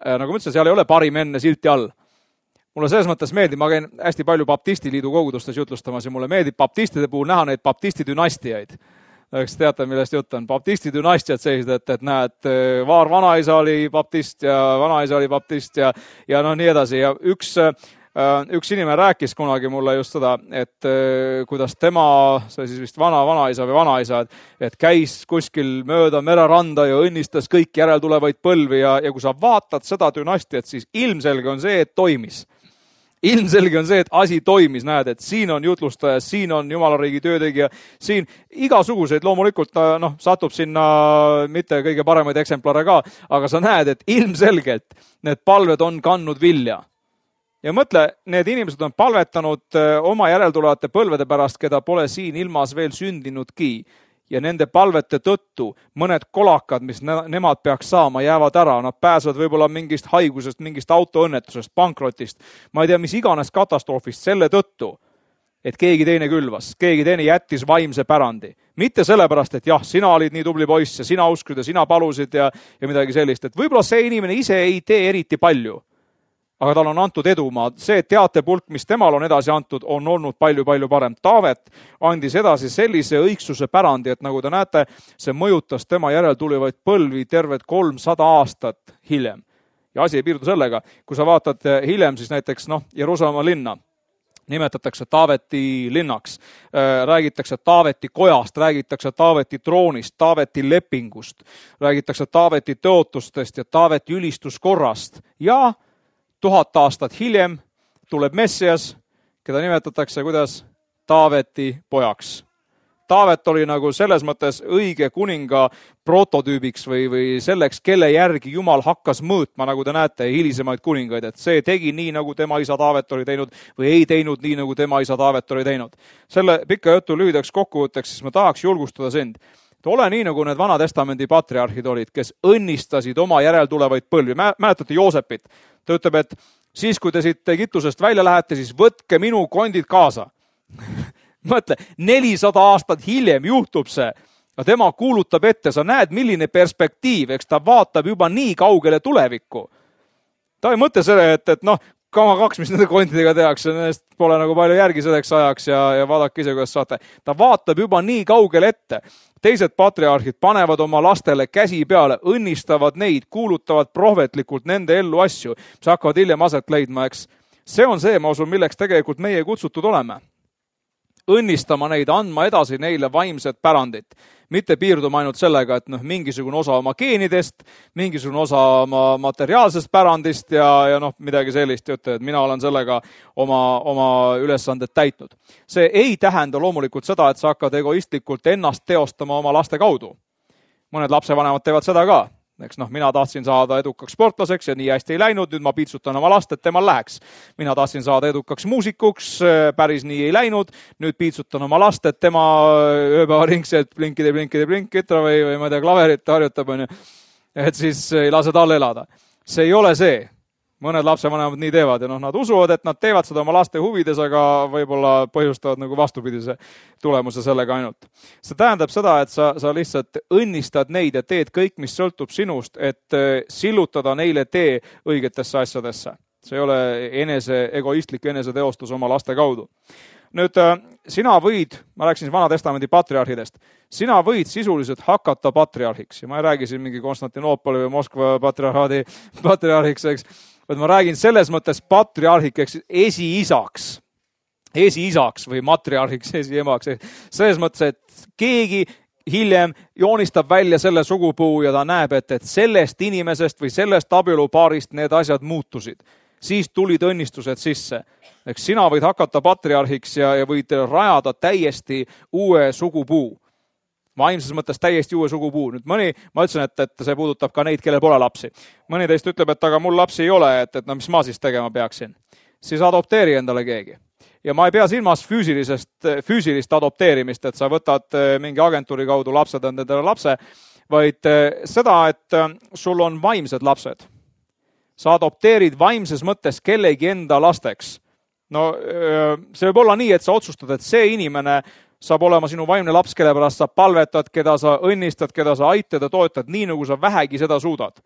Nagu ma ütlesin, seal ei ole parim enne silti all. Mulle selles mõttes meeldib, ma käin hästi palju baptistiliidu kogudustes jutlustamas ja mulle meeldib baptistide puhul näha neid baptisti dünastiaid. Eks teate, millest jutt on. Baptisti dünastiad sellised, et, et näed, vaar vanaisa oli baptist ja vanaisa oli baptist ja, ja noh, nii edasi. Ja üks, üks inimene rääkis kunagi mulle just seda, et kuidas tema, see siis vist vana vanaisa või vanaisa, et, et käis kuskil mööda mereranda ja õnnistas kõik järeltulevaid põlvi ja, ja kui sa vaatad seda dünastiat, siis ilmselge on see, et toimis. Ilmselge on see, et asi toimis, näed, et siin on jutlustaja, siin on Jumalariigi töötegija, siin igasuguseid loomulikult noh, satub sinna mitte kõige paremaid eksemplare ka, aga sa näed, et ilmselgelt need palved on kandnud vilja. Ja mõtle, need inimesed on palvetanud oma järeltulevate põlvede pärast, keda pole siin ilmas veel sündinudki. Ja nende palvete tõttu mõned kolakad, mis ne- nemad peaks saama, jäävad ära. Nad pääsevad võib-olla mingist haigusest, mingist autoõnnetusest, pankrotist, ma ei tea, mis iganes katastroofist selle tõttu, et keegi teine külvas, keegi teine jättis vaimse pärandi. Mitte sellepärast, et jah, sina olid nii tubli poiss ja sina uskud ja sina palusid ja, ja midagi sellist. Et võib-olla see inimene ise ei tee eriti palju. aga tal on antud edumaa. See teatepulk, mis temal on edasi antud, on olnud palju-palju parem. Taavet andis edasi sellise õigsuse pärandi, et nagu te näete, see mõjutas tema järeltulevaid põlvi terved kolmsada aastat hiljem. Ja asi ei piirdu sellega. Kui sa vaatad hiljem, siis näiteks noh, Jeruusalemma linna nimetatakse Taaveti linnaks, räägitakse Taaveti kojast, räägitakse Taaveti troonist, Taaveti lepingust, räägitakse Taaveti tõotustest ja Taaveti ülistuskorrast. Ja tuhat aastat hiljem tuleb Messias, keda nimetatakse kuidas Taaveti pojaks. Taavet oli nagu selles mõttes õige kuninga prototüübiks või, või selleks, kelle järgi Jumal hakkas mõõtma, nagu te näete, hilisemaid kuningaid, et see tegi nii, nagu tema isa Taavet oli teinud või ei teinud nii, nagu tema isa Taavet oli teinud. Selle pika jutu lühidaks kokkuvõtteks, siis ma tahaks julgustada sind. Ole nii, nagu need Vana Testamendi patriarhid olid, kes õnnistasid oma järeltulevaid põlvi. Mäletate Joosepit? Ta ütleb, et siis, kui te siit Egiptusest välja lähete, siis võtke minu kondid kaasa. Mõtle, nelisada aastat hiljem juhtub see, ja tema kuulutab ette, sa näed, milline perspektiiv, eks ta vaatab juba nii kaugele tulevikku. Ta ei mõtle selle, et, et noh, kama kaks, mis nende kondidega tehakse, nendest pole nagu palju järgi selleks ajaks ja, ja vaadake ise, kuidas saate. Ta vaatab juba nii kaugele ette. Teised patriarhid panevad oma lastele käsi peale, õnnistavad neid, kuulutavad prohvetlikult nende ellu asju, mis hakkavad hiljem aset leidma, eks. See on see, ma usun, milleks tegelikult meie kutsutud oleme. Õnnistama neid, andma edasi neile vaimset pärandit. Mitte piirduma ainult sellega, et noh, mingisugune osa oma geenidest, mingisugune osa oma materiaalsest pärandist ja, ja noh, midagi sellist ütle, et mina olen sellega oma, oma ülesanded täitnud. See ei tähenda loomulikult seda, et sa hakkad egoistlikult ennast teostama oma laste kaudu. Mõned lapsevanemad teevad seda ka. Eks noh, mina tahtsin saada edukaks sportlaseks ja nii hästi ei läinud, nüüd ma piitsutan oma last, et temal läheks. Mina tahtsin saada edukaks muusikuks, päris nii ei läinud, nüüd piitsutan oma last, et tema ööpäevaringselt blinkide, blinkide, blinkitra või, või ma ei tea, klaverit harjutab, on ju, et siis ei lase tal elada. See ei ole see. Mõned lapsevanemad nii teevad ja noh, nad usuvad, et nad teevad seda oma laste huvides, aga võib-olla põhjustavad nagu vastupidise tulemuse sellega ainult. See tähendab seda, et sa, sa lihtsalt õnnistad neid ja teed kõik, mis sõltub sinust, et sillutada neile tee õigetesse asjadesse. See ei ole enese, egoistlik eneseteostus oma laste kaudu. Nüüd, sina võid, ma rääkisin Vana Testamendi patriarhidest, sina võid sisuliselt hakata patriarhiks ja ma ei räägi siin mingi Konstantinoopoli või Moskva patriarhaadi patriarhiks, eks, vaid ma räägin selles mõttes patriarhiks esiisaks, esiisaks või matriarhiks, esiemaks. Selles mõttes, et keegi hiljem joonistab välja selle sugupuu ja ta näeb, et, et sellest inimesest või sellest abielupaarist need asjad muutusid. Siis tulid õnnistused sisse. Eks sina võid hakata patriarhiks ja, ja võid rajada täiesti uue sugupuu. Vaimses mõttes täiesti uue sugupuu. Nüüd mõni, ma ütlesin, et, et see puudutab ka neid, kellel pole lapsi. Mõni teist ütleb, et aga mul lapsi ei ole, et, et no mis ma siis tegema peaksin. Siis adopteeri endale keegi. Ja ma ei pea silmas füüsilisest, füüsilist adopteerimist, et sa võtad mingi agentuuri kaudu lapsed endale lapse, vaid seda, et sul on vaimsed lapsed. Sa adopteerid vaimses mõttes kellegi enda lasteks. No see võib olla nii, et sa otsustad, et see inimene saab olema sinu vaimne laps, kelle pärast sa palvetad, keda sa õnnistad, keda sa aitad ja toetad, nii nagu sa vähegi seda suudad.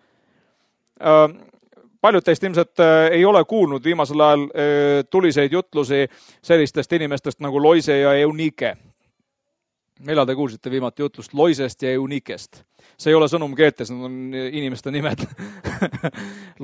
Paljud teist ilmselt ei ole kuulnud viimasel ajal tuliseid jutlusi sellistest inimestest nagu Loise ja Eunike. Millal te kuulsite viimati jutlust Loisest ja Eunikest? See ei ole sõnum keeltes, need on inimeste nimed.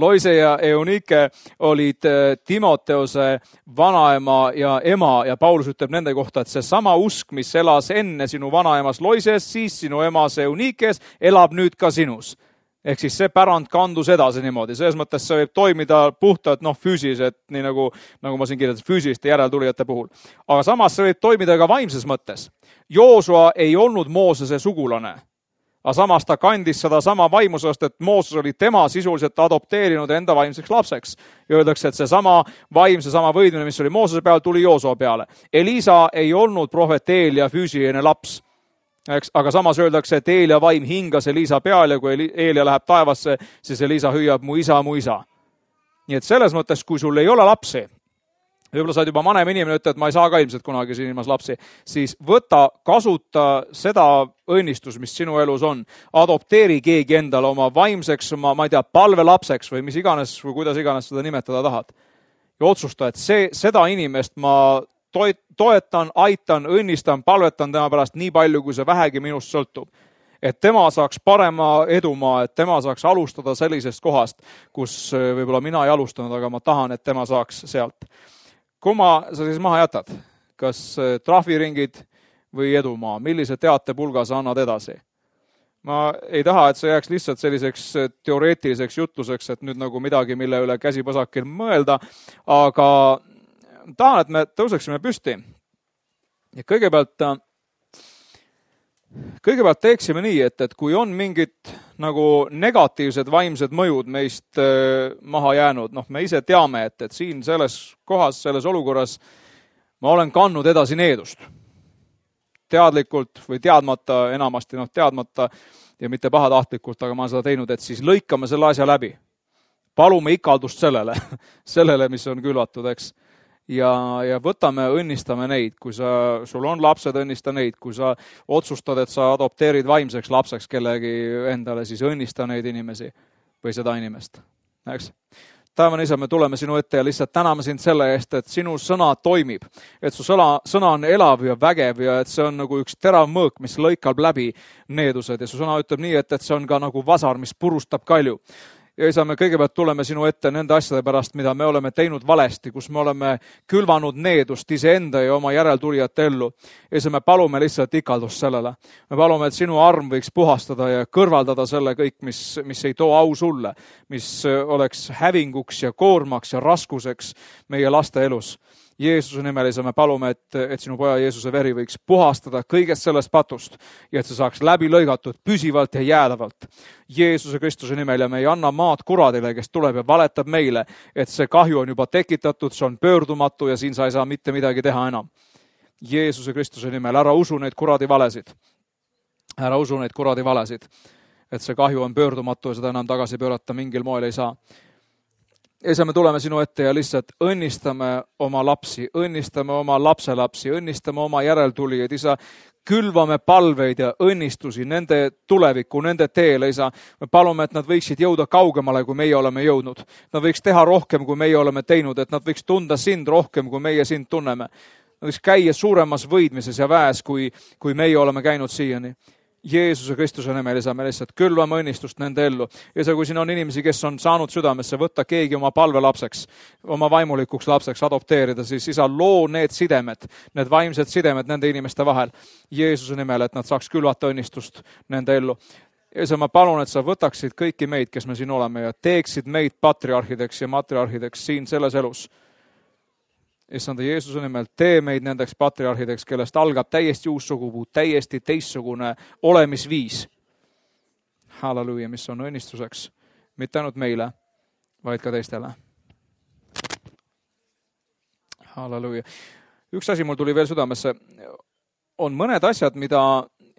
Loise ja Eunike olid Timoteuse vanaema ja ema ja Paulus ütleb nende kohta, et see sama usk, mis elas enne sinu vanaemas Loises, siis sinu emas Eunikes, elab nüüd ka sinus. Ehk siis see pärand kandus edasi niimoodi. Selles mõttes see võib toimida puhtalt noh, füüsiliselt, nii nagu, nagu ma siin kirjeldasin, füüsiliste järeltulijate puhul. Aga samas see võib toimida ka vaimses mõttes. Joosua ei olnud Moosese sugulane, aga samas ta kandis seda sama vaimusest, et Mooses oli tema sisuliselt adopteerinud enda vaimseks lapseks. Ja öeldakse, et see sama vaim, see sama võidmine, mis oli Moosese peal, tuli Joosua peale. Elisa ei olnud prohvet Eelia füüsiline laps. Eks, aga samas öeldakse, et Eelia vaim hingas Elisa peal ja kui Eelia läheb taevasse, siis Elisa hüüab mu isa, mu isa. Nii et selles mõttes, kui sul ei ole lapsi, võib-olla sa oled juba vanem inimene, ütled, et ma ei saa ka ilmselt kunagi siin ilmas lapsi, siis võta, kasuta seda õnnistus, mis sinu elus on. Adopteeri keegi endale oma vaimseks, oma, ma ei tea, palvelapseks või mis iganes või kuidas iganes seda nimetada tahad. Ja otsusta, et see, seda inimest ma toetan, aitan, õnnistan, palvetan tema pärast nii palju, kui see vähegi minust sõltub. Et tema saaks parema edumaa, et tema saaks alustada sellisest kohast, kus võib-olla mina ei alustanud, aga ma tahan, et tema saaks sealt. Kumma sa siis maha jätad? Kas trahviringid või edumaa? Millise teatepulga sa annad edasi? Ma ei taha, et see jääks lihtsalt selliseks teoreetiliseks jutluseks, et nüüd nagu midagi, mille üle käsipõsakil mõelda, aga tahan, et me tõuseksime püsti. Ja kõigepealt, kõigepealt teeksime nii, et, et kui on mingid nagu negatiivsed vaimsed mõjud meist maha jäänud, noh, me ise teame, et, et siin selles kohas, selles olukorras ma olen kandnud edasi needust. Teadlikult või teadmata, enamasti noh, teadmata ja mitte pahatahtlikult, aga ma olen seda teinud, et siis lõikame selle asja läbi. Palume ikaldust sellele, sellele, mis on külvatud, eks. Ja, ja võtame, õnnistame neid, kui sa, sul on lapsed, õnnista neid, kui sa otsustad, et sa adopteerid vaimseks lapseks kellegi endale, siis õnnista neid inimesi või seda inimest. Eks? Taevane isa, me tuleme sinu ette ja lihtsalt täname sind selle eest, et sinu sõna toimib, et su sõna, sõna on elav ja vägev ja et see on nagu üks terav mõõk, mis lõikab läbi needused ja su sõna ütleb nii, et, et see on ka nagu vasar, mis purustab kalju. Ja isa, me kõigepealt tuleme sinu ette nende asjade pärast, mida me oleme teinud valesti, kus me oleme külvanud needust iseenda ja oma järeltulijate ellu. Ja isa, me palume lihtsalt ikaldust sellele. Me palume, et sinu arm võiks puhastada ja kõrvaldada selle kõik, mis, mis ei too au sulle, mis oleks hävinguks ja koormaks ja raskuseks meie laste elus. Jeesuse nimel isa, me palume, et, et sinu poja Jeesuse veri võiks puhastada kõigest sellest patust ja et see saaks läbi lõigatud püsivalt ja jäädavalt. Jeesuse Kristuse nimel ja me ei anna maad kuradile, kes tuleb ja valetab meile, et see kahju on juba tekitatud, see on pöördumatu ja siin sa ei saa mitte midagi teha enam. Jeesuse Kristuse nimel, ära usu neid kuradi valesid. Ära usu neid kuradi valesid, et see kahju on pöördumatu ja seda enam tagasi pöörata mingil moel ei saa. Ja me tuleme sinu ette ja lihtsalt õnnistame oma lapsi, õnnistame oma lapselapsi, õnnistame oma järeltulijaid, isa, külvame palveid ja õnnistusi nende tuleviku, nende teele, isa. Me palume, et nad võiksid jõuda kaugemale, kui meie oleme jõudnud. Nad võiks teha rohkem, kui meie oleme teinud, et nad võiks tunda sind rohkem, kui meie sind tunneme. Nad võiks käia suuremas võidmises ja väes, kui, kui meie oleme käinud siiani. Jeesuse Kristuse nimel, isa, me lihtsalt külvame õnnistust nende ellu. Ja see, kui siin on inimesi, kes on saanud südamesse, võtta keegi oma palvelapseks, oma vaimulikuks lapseks adopteerida, siis isa, loo need sidemed, need vaimsed sidemed nende inimeste vahel. Jeesuse nimel, et nad saaks külvata õnnistust nende ellu. Ja isa, ma palun, et sa võtaksid kõiki meid, kes me siin oleme ja teeksid meid patriarhideks ja matriarhideks siin selles elus. Issanda Jeesuse nimel, tee meid nendeks patriarhideks, kellest algab täiesti uus sugupuu, täiesti teistsugune olemisviis. Halleluja, mis on õnnistuseks, mitte ainult meile, vaid ka teistele. Halleluja. Üks asi mul tuli veel südamesse. On mõned asjad, mida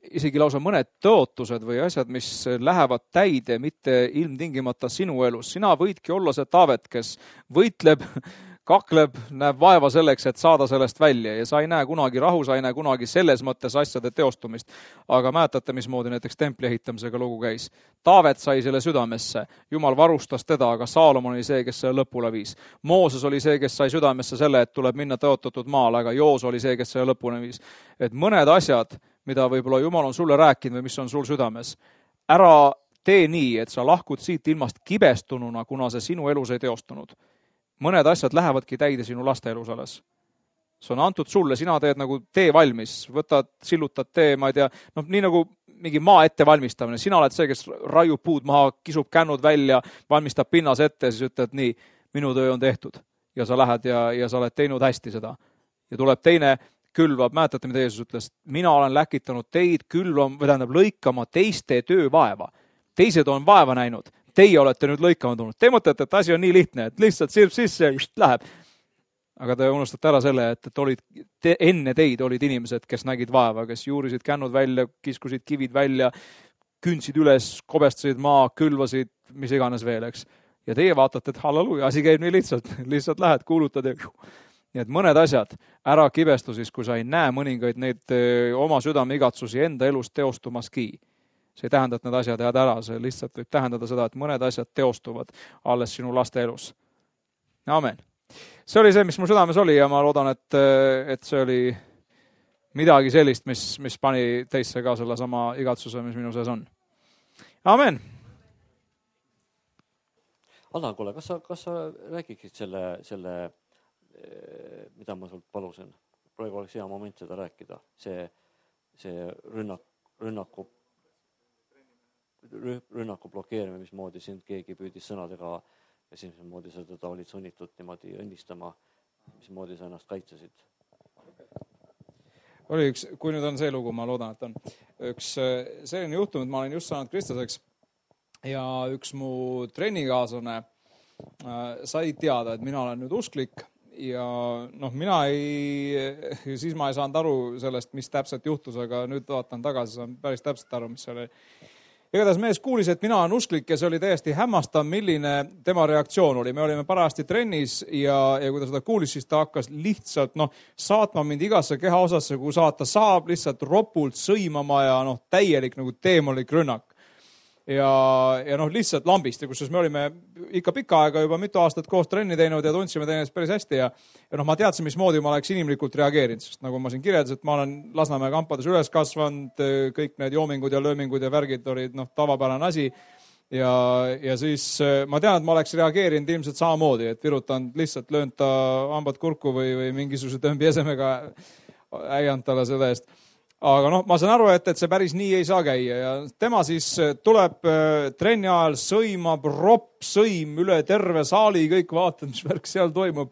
isegi lausa mõned tõotused või asjad, mis lähevad täide, mitte ilmtingimata sinu elus. Sina võidki olla see Taavet, kes võitleb, kakleb, näeb vaeva selleks, et saada sellest välja ja sa ei näe kunagi rahu, sa ei näe kunagi selles mõttes asjade teostumist. Aga mäletate, mismoodi näiteks templi ehitamisega lugu käis. Taavet sai selle südamesse, Jumal varustas teda, aga Saalomon oli see, kes selle lõpule viis. Mooses oli see, kes sai südamesse selle, et tuleb minna tõotatud maale, aga Joos oli see, kes selle lõpule viis. Et mõned asjad, mida võib-olla Jumal on sulle rääkinud või mis on sul südames, ära tee nii, et sa lahkud siit ilmast kibestununa, kuna see sinu elus ei teostunud. Mõned asjad lähevadki täide sinu laste elus alles. See on antud sulle, sina teed nagu tee valmis, võtad, sillutad tee, ma ei tea, noh, nii nagu mingi maa ette valmistamine. Sina oled see, kes raiub puud maha, kisub kännud välja, valmistab pinnas ette ja siis ütled nii, minu töö on tehtud. Ja sa lähed ja, ja sa oled teinud hästi seda. Ja tuleb teine külvab, mäletate, mida Jeesus ütles, mina olen läkitanud teid külvam, või tähendab lõikama teiste töövaeva. Teised on vaeva näinud. Teie olete nüüd lõikama tulnud. Te mõtlete, et asi on nii lihtne, et lihtsalt sirb sisse ja just läheb. Aga te unustate ära selle, et, et olid, te, enne teid olid inimesed, kes nägid vaeva, kes juurisid kännud välja, kiskusid kivid välja, kündsid üles, kobestasid maa, külvasid, mis iganes veel, eks. Ja teie vaatate, et halleluja, asi käib nii lihtsalt. Lihtsalt lähed, kuulutad ja nii et mõned asjad ära kibestu siis, kui sa ei näe mõningaid neid oma südame igatsusi enda elus teostumaski. See ei tähenda, et need asjad jääd ära, see lihtsalt võib tähendada seda, et mõned asjad teostuvad alles sinu laste elus. Amen. See oli see, mis mu südames oli ja ma loodan, et, et see oli midagi sellist, mis, mis pani teisse ka selle sama igatsuse, mis minu sees on. Amen. Allan, kuule, kas sa, kas sa räägiksid selle, selle, mida ma sult palusin? Praegu oleks hea moment seda rääkida. See, see rünnak, rünnaku, rünnaku blokeerimine, mismoodi sind keegi püüdis sõnadega ja siis mismoodi sa teda olid sunnitud niimoodi õnnistama, mismoodi sa ennast kaitsesid. Oli üks, kui nüüd on see lugu, ma loodan, et on üks selline juhtum, et ma olen just saanud kristlaseks ja üks mu trennikaaslane äh, sai teada, et mina olen nüüd usklik ja noh, mina ei, siis ma ei saanud aru sellest, mis täpselt juhtus, aga nüüd vaatan tagasi, saan päris täpselt aru, mis see oli. Igatahes mees kuulis, et mina olen usklik ja see oli täiesti hämmastav, milline tema reaktsioon oli. Me olime parajasti trennis ja, ja kui ta seda kuulis, siis ta hakkas lihtsalt noh, saatma mind igasse kehaosasse, kui saata saab, lihtsalt ropult sõimama ja noh, täielik nagu teemolik rünnak. Ja, ja noh, lihtsalt lambist, ja kusjuures me olime ikka pikka aega juba mitu aastat koos trenni teinud ja tundsime teineteist päris hästi ja, ja noh, ma teadsin, mismoodi ma oleks inimlikult reageerinud, sest nagu ma siin kirjeldasin, et ma olen Lasnamäe kampades üles kasvanud, kõik need joomingud ja löömingud ja värgid olid noh, tavapärane asi ja, ja siis ma tean, et ma oleks reageerinud ilmselt samamoodi, et virutanud lihtsalt löönud ta hambad kurku või, või mingisuguse tõmbi esemega äiand talle selle eest. Aga noh, ma saan aru, et, et see päris nii ei saa käia ja tema siis tuleb trenni ajal, sõimab, ropp, sõim üle terve saali, kõik vaatavad, mis värk seal toimub.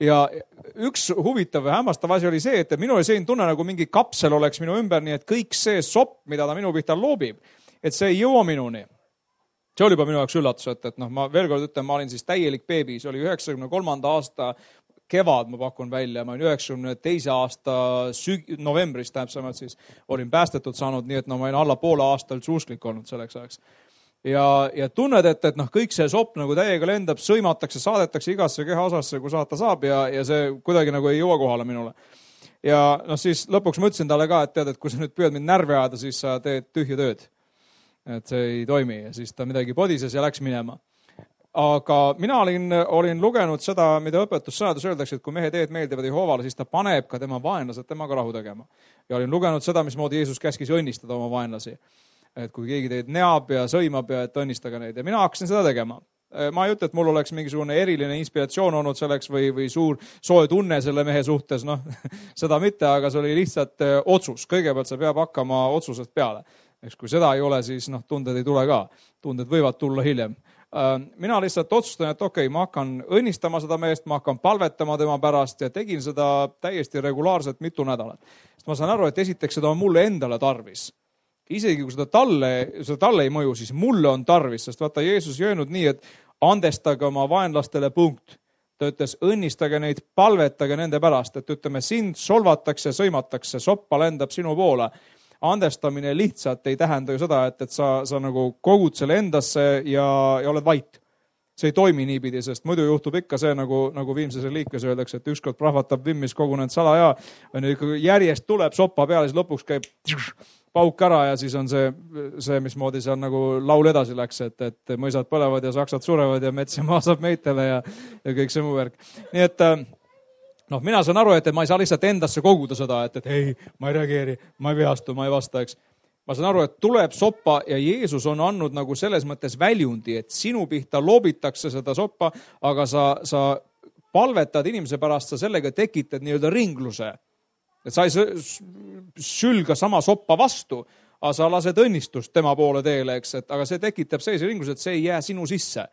Ja üks huvitav ja hämmastav asi oli see, et minul oli selline tunne, nagu mingi kapsel oleks minu ümber, nii et kõik see sopp, mida ta minu pihta loobib, et see ei jõua minuni. See oli juba minu jaoks üllatus, et, et noh, ma veel kord ütlen, ma olin siis täielik beebi, see oli üheksakümne kolmanda aasta kevad, ma pakun välja, ma olin üheksakümne teise aasta süg- novembris täpsemalt siis olin päästetud saanud, nii et no ma olin alla poole aastal suusklik olnud selleks ajaks. Ja, ja tunned, et, et noh, kõik see sopp nagu täiega lendab, sõimatakse, saadetakse igasse kehaosasse, kui saata saab ja, ja see kuidagi nagu ei jõua kohale minule. Ja noh, siis lõpuks mõtlesin talle ka, et tead, et kui sa nüüd püüad mind närvi ajada, siis sa teed tühja tööd. Et see ei toimi ja siis ta midagi podises ja läks minema. Aga mina olin, olin lugenud seda, mida õpetussõnades öeldakse, et kui mehe teed meeldivad Jehovale, siis ta paneb ka tema vaenlased temaga rahu tegema. Ja olin lugenud seda, mismoodi Jeesus käskis õnnistada oma vaenlasi. Et kui keegi teid neab ja sõimab ja et õnnistage neid. Ja mina hakkasin seda tegema. Ma ei ütle, et mul oleks mingisugune eriline inspiratsioon olnud selleks või, või suur soe tunne selle mehe suhtes, noh, seda mitte, aga see oli lihtsalt otsus. Kõigepealt see peab hakkama otsusest peale. Eks kui seda ei ole, siis noh, tunded ei tule ka. Tunded võivad tulla hiljem. Mina lihtsalt otsustan, et okei, okay, ma hakkan õnnistama seda meest, ma hakkan palvetama tema pärast ja tegin seda täiesti regulaarselt mitu nädalat. Sest ma saan aru, et esiteks seda on mulle endale tarvis. Isegi kui seda talle, seda talle ei mõju, siis mulle on tarvis, sest vaata, Jeesus ei öelnud nii, et andestage oma vaenlastele punkt. Ta ütles, õnnistage neid, palvetage nende pärast, et ütleme, sind solvatakse, sõimatakse, soppa lendab sinu poole. Andestamine lihtsalt ei tähenda ju seda, et, et sa, sa nagu kogud selle endasse ja, ja oled vait. See ei toimi niipidi, sest muidu juhtub ikka see, nagu, nagu viimses reliikvias öeldakse, et ükskord prahvatab vimmis kogunenud salaja, järjest tuleb soppa peale, siis lõpuks käib pauk ära ja siis on see, see mismoodi seal nagu laul edasi läks, et, et mõisad põlevad ja saksad surevad ja mets ja maa saab meitele ja, ja kõik see muu värk. Nii et noh, mina saan aru, et ma ei saa lihtsalt endasse koguda seda, et, et ei, ma ei reageeri, ma ei vihastu, ma ei vasta, eks. Ma saan aru, et tuleb soppa ja Jeesus on andnud nagu selles mõttes väljundi, et sinu pihta loobitakse seda soppa, aga sa, sa palvetad inimese pärast, sa sellega tekitad nii-öelda ringluse. Et sa ei sülga sama soppa vastu, aga sa lased õnnistust tema poole teele, eks, et, aga see tekitab sellise ringluse, et see ei jää sinu sisse.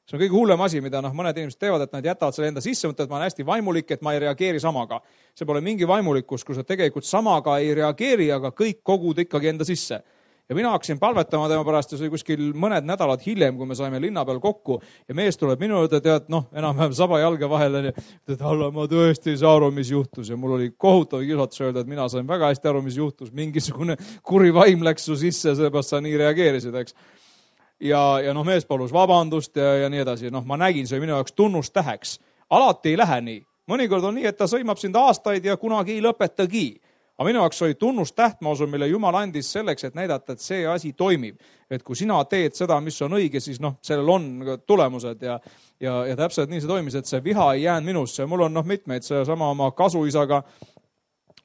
See on kõige hullem asi, mida noh, mõned inimesed teevad, et nad jätavad selle enda sisse, mõtlevad, et ma olen hästi vaimulik, et ma ei reageeri samaga. See pole mingi vaimulikkus, kui sa tegelikult samaga ei reageeri, aga kõik kogud ikkagi enda sisse. Ja mina hakkasin palvetama tema pärast ja see oli kuskil mõned nädalad hiljem, kui me saime linna peal kokku ja mees tuleb minu juurde, tead, noh, enam-vähem saba jalge vahele ja tead, alla, ma tõesti ei saa aru, mis juhtus ja mul oli kohutav kiusatus öelda, et mina sain väga hästi aru, mis juhtus. Mingisugune kuri vaim läks su sisse, seepärast sa nii reageerisid, eks. Ja, ja noh, mees palus vabandust ja, ja nii edasi. Noh, ma nägin, see minu jaoks tunnustäheks. Alati ei lähe nii. mõnikord on nii, et ta sõimab sind aastaid ja kunagi ei lõpetagi. Aga minu jaoks oli tunnustäht, ma usun, mille Jumal andis selleks, et näidata, et see asi toimib. Et kui sina teed seda, mis on õige, siis noh, sellel on tulemused ja, ja, ja täpselt nii see toimis, et see viha ei jäänud minusse. Mul on noh mitmeid, see sama oma kasuisaga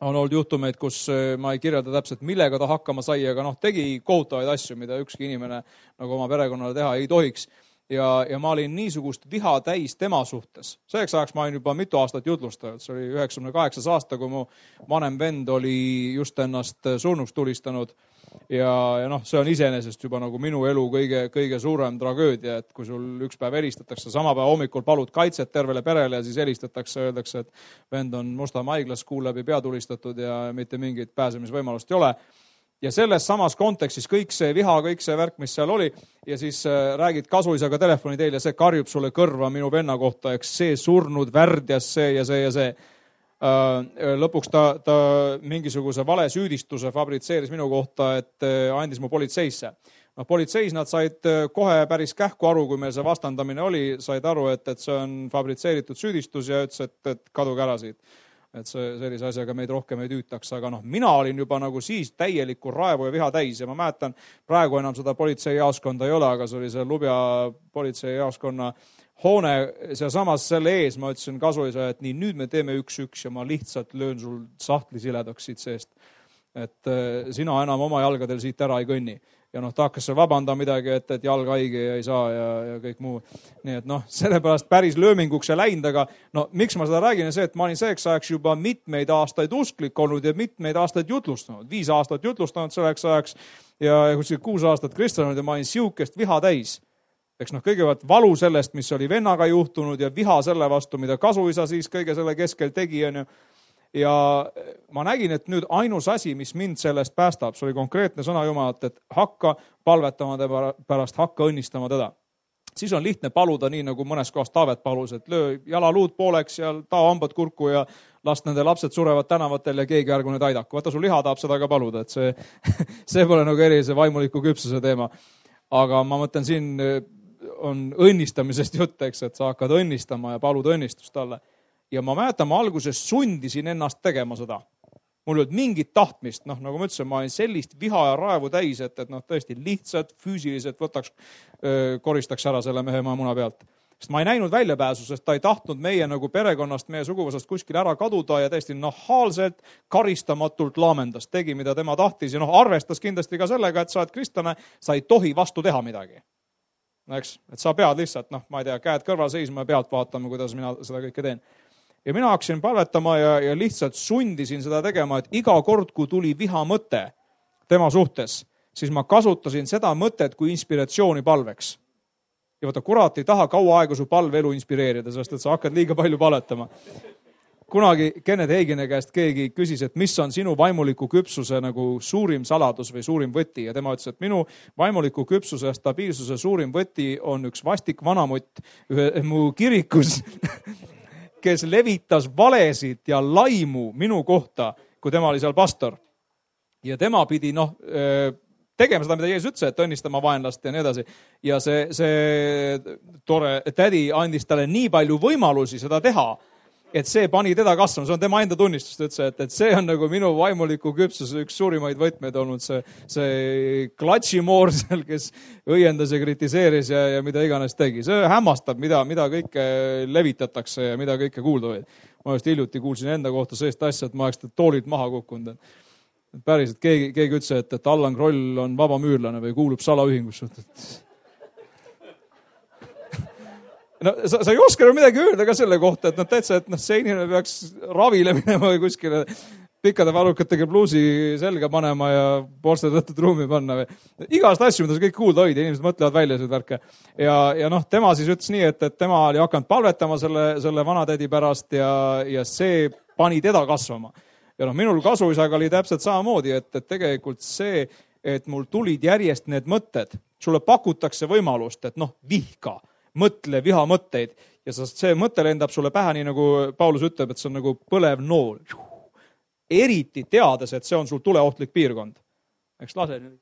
on olnud juhtumeid, kus ma ei kirjelda täpselt, millega ta hakkama sai, aga noh, tegi kohutavaid asju, mida ükski inimene nagu oma perekonnale teha ei tohiks. Ja, ja ma olin niisugust viha täis tema suhtes. Selleks ajaks ma olin juba mitu aastat jutlustanud. See oli üheksakümne kaheksas aasta, kui mu vanem vend oli just ennast surnuks tulistanud. Ja, ja noh, see on iseenesest juba nagu minu elu kõige, kõige suurem tragöödia, et kui sul üks päev helistatakse, sama päev hommikul palud kaitset tervele perele ja siis helistatakse, öeldakse, et vend on Mustamäe haiglas, kuu läbi pea tulistatud ja mitte mingit pääsemisvõimalust ei ole. Ja selles samas kontekstis kõik see viha, kõik see värk, mis seal oli, ja siis räägid kasuisaga telefoni teil ja see karjub sulle kõrva minu venna kohta, eks see surnud värdjas see ja see ja see. Lõpuks ta, ta mingisuguse vale süüdistuse fabritseeris minu kohta, et andis mu politseisse. No, politseis nad said kohe päris kähku aru, kui meil see vastandamine oli, said aru, et, et see on fabritseeritud süüdistus ja ütles, et, et kaduge ära siit. Et see sellise asjaga meid rohkem ei tüütaks, aga noh, mina olin juba nagu siis täielikku raevu ja viha täis ja ma mäletan, praegu enam seda politseijaoskonda ei ole, aga see oli see Lubja politseijaoskonna hoone, see samas selle ees, ma ütlesin kasuisa, et nii, nüüd me teeme üks-üks ja ma lihtsalt löön sul sahtli siledaks siit seest. Et sina enam oma jalgadel siit ära ei kõnni. Ja noh, ta hakkas vabanda midagi, et, et jalg haige ja ei saa ja, ja kõik muu. Nii et noh, sellepärast päris lööminguks ei läinud, aga no miks ma seda räägin, on see, et ma olin selleks ajaks juba mitmeid aastaid usklik olnud ja mitmeid aastaid jutlustanud. Viis aastat jutlustanud selleks ajaks ja kuskil kuus aastat kristanud ja ma olin siukest viha täis. Eks noh, kõigepealt valu sellest, mis oli vennaga juhtunud ja viha selle vastu, mida kasuisa siis kõige selle keskel tegi. On ju. Ja ma nägin, et nüüd ainus asi, mis mind sellest päästab, see oli konkreetne sõna Jumalat, et hakka palvetama pärast, hakka õnnistama teda. Siis on lihtne paluda nii, nagu mõnes kohas Taavet palus, et löö jalaluud pooleks ja tao hambad kurku ja last nende lapsed surevad tänavatel ja keegi ärgu nüüd aidaku. Vaata, sul liha tahab seda ka paluda, et see, see pole nagu erilise vaimuliku küpsuse teema. Aga ma mõtlen, siin on õnnistamisest jutt, eks, et sa hakkad õnnistama ja palud õnnistust talle. Ja ma mäletan, ma alguses sundisin ennast tegema seda. Mul ei olnud mingit tahtmist, noh, nagu ma ütlesin, ma olin sellist viha ja raevu täis, et, et noh, tõesti lihtsalt füüsiliselt võtaks, koristaks ära selle mehe maa muna pealt. Sest ma ei näinud väljapääsu, sest ta ei tahtnud meie nagu perekonnast, meie suguvõsast kuskil ära kaduda ja täiesti nahaalselt, karistamatult laamendas, tegi, mida tema tahtis ja noh, arvestas kindlasti ka sellega, et sa oled kristlane, sa ei tohi vastu teha midagi. Eks, et sa pead lihtsalt, noh, ma ei tea, käed kõrval seisma ja pealt vaatama, kuidas mina seda kõike teen. Ja mina hakkasin palvetama ja, ja lihtsalt sundisin seda tegema, et iga kord, kui tuli viha mõte tema suhtes, siis ma kasutasin seda mõtet kui inspiratsiooni palveks. Ja vaata, kurat ei taha kaua aega su palve elu inspireerida, sest et sa hakkad liiga palju paletama. Kunagi Kenneth Hagini käest keegi küsis, et mis on sinu vaimuliku küpsuse nagu suurim saladus või suurim võti. Ja tema ütles, et minu vaimuliku küpsuse ja stabiilsuse suurim võti on üks vastik vanamutt ühe mu kirikus, kes levitas valesid ja laimu minu kohta, kui tema oli seal pastor. Ja tema pidi noh, tegema seda, mida Jeesus ütles, et õnnistama vaenlast ja nii edasi. Ja see, see tore tädi andis talle nii palju võimalusi seda teha, et see pani teda kasvama, see on tema enda tunnistus, ta ütles, et, et see on nagu minu vaimuliku küpsuse üks suurimaid võtmeid olnud, see, see klatšimoor seal, kes õiendas ja kritiseeris ja, ja mida iganes tegi. See hämmastab, mida, mida kõike levitatakse ja mida kõike kuulda võid. Ma just hiljuti kuulsin enda kohta sellist asja, et ma oleks toolilt maha kukkunud. Päris, et keegi, keegi ütles, et, et Allan Kroll on vaba müürlane või kuulub salaühingusse. No, sa, sa ei oska midagi öelda ka selle kohta, et noh, täitsa, et noh, see inimene peaks ravile minema või kuskile pikkade valukatega bluusi selga panema ja poolste tõttud ruumi panna. Või. Igast asju, mida sa kõik kuulda hoida, inimesed mõtlevad välja seda värke. Ja, ja noh, tema siis ütles nii, et, et tema oli hakanud palvetama selle, selle vanatädi pärast ja, ja see pani teda kasvama. Ja noh, minul kasuisaga oli täpselt samamoodi, et, et tegelikult see, et mul tulid järjest need mõtted, sulle pakutakse võimalust, et noh, vihka. Mõtle viha mõtteid ja see mõte lendab sulle pähe, nii nagu Paulus ütleb, et see on nagu põlev nool. Eriti teades, et see on sul tuleohtlik piirkond. Eks lase nüüd.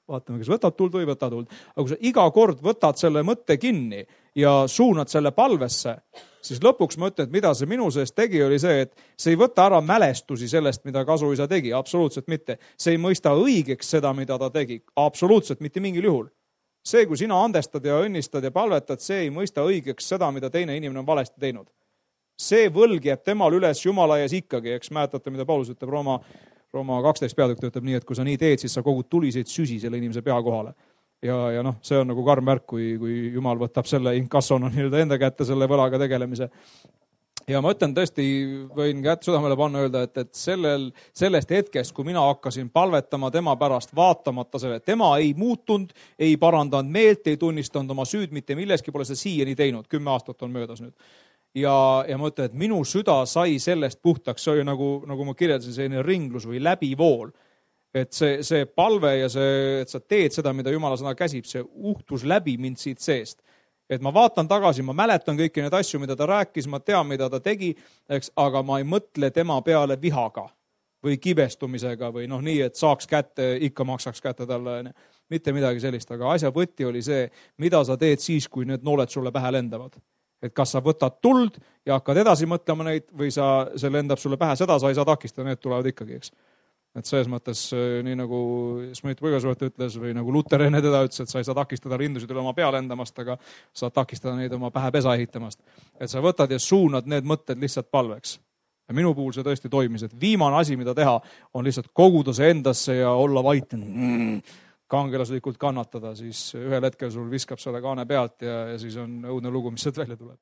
Vaatame, kas võtad tuld või võtad tuld. Aga kui sa iga kord võtad selle mõtte kinni ja suunad selle palvesse, siis lõpuks ma ütlen, et mida see minu sees tegi, oli see, et see ei võta ära mälestusi sellest, mida kasuisa tegi, absoluutselt mitte. See ei mõista õigeks seda, mida ta tegi, absoluutselt mitte mingil juhul. See, kui sina andestad ja õnnistad ja palvetad, see ei mõista õigeks seda, mida teine inimene on valesti teinud. See võlg jääb temal üles Jumala ees ikkagi, eks mäletate, mida Paulus ütleb Rooma, Rooma kaksteist peatükk ütleb nii, et kui sa nii teed, siis sa kogud tuliseid süsi selle inimese pea kohale. Ja, ja noh, see on nagu karm märk, kui, kui Jumal võtab selle inkassona nii-öelda enda kätte selle võlaga tegelemise. Ja ma ütlen tõesti, võin kätt südamele panna öelda, et, et sellel, sellest hetkest, kui mina hakkasin palvetama tema pärast, vaatamata selle, tema ei muutunud, ei parandanud meelt, ei tunnistanud oma süüd, mitte milleski pole see siiani teinud, kümme aastat on möödas nüüd. Ja, ja ma ütlen, et minu süda sai sellest puhtaks, see oli nagu, nagu ma kirjeldasin, selline ringlus või läbivool. Et see, see palve ja see, et sa teed seda, mida Jumala sõna käsib, see uhtus läbi mind siit seest. Et ma vaatan tagasi, ma mäletan kõiki neid asju, mida ta rääkis, ma tean, mida ta tegi, eks, aga ma ei mõtle tema peale vihaga või kibestumisega või noh nii, et saaks kätte, ikka maksaks kätte talle. Mitte midagi sellist, aga asja võti oli see, mida sa teed siis, kui need nooled sulle pähe lendavad. Et kas sa võtad tuld ja hakkad edasi mõtlema neid või sa, see lendab sulle pähe, seda sa ei saa takistada, need tulevad ikkagi, eks. Et selles mõttes, nii nagu Smith Wigglesworth ütles või nagu Luther enne teda ütles, et sa ei saa takistada rindusid üle oma pea lendamast, aga saad takistada neid oma pähe pesa ehitamast. Et sa võtad ja suunad need mõtted lihtsalt palveks. Ja minu puhul see tõesti toimis, et viimane asi, mida teha, on lihtsalt koguda see endasse ja olla vait, mm, kangelaslikult kannatada, siis ühel hetkel sul viskab selle kaane pealt ja, ja siis on õudne lugu, mis sealt välja tuleb.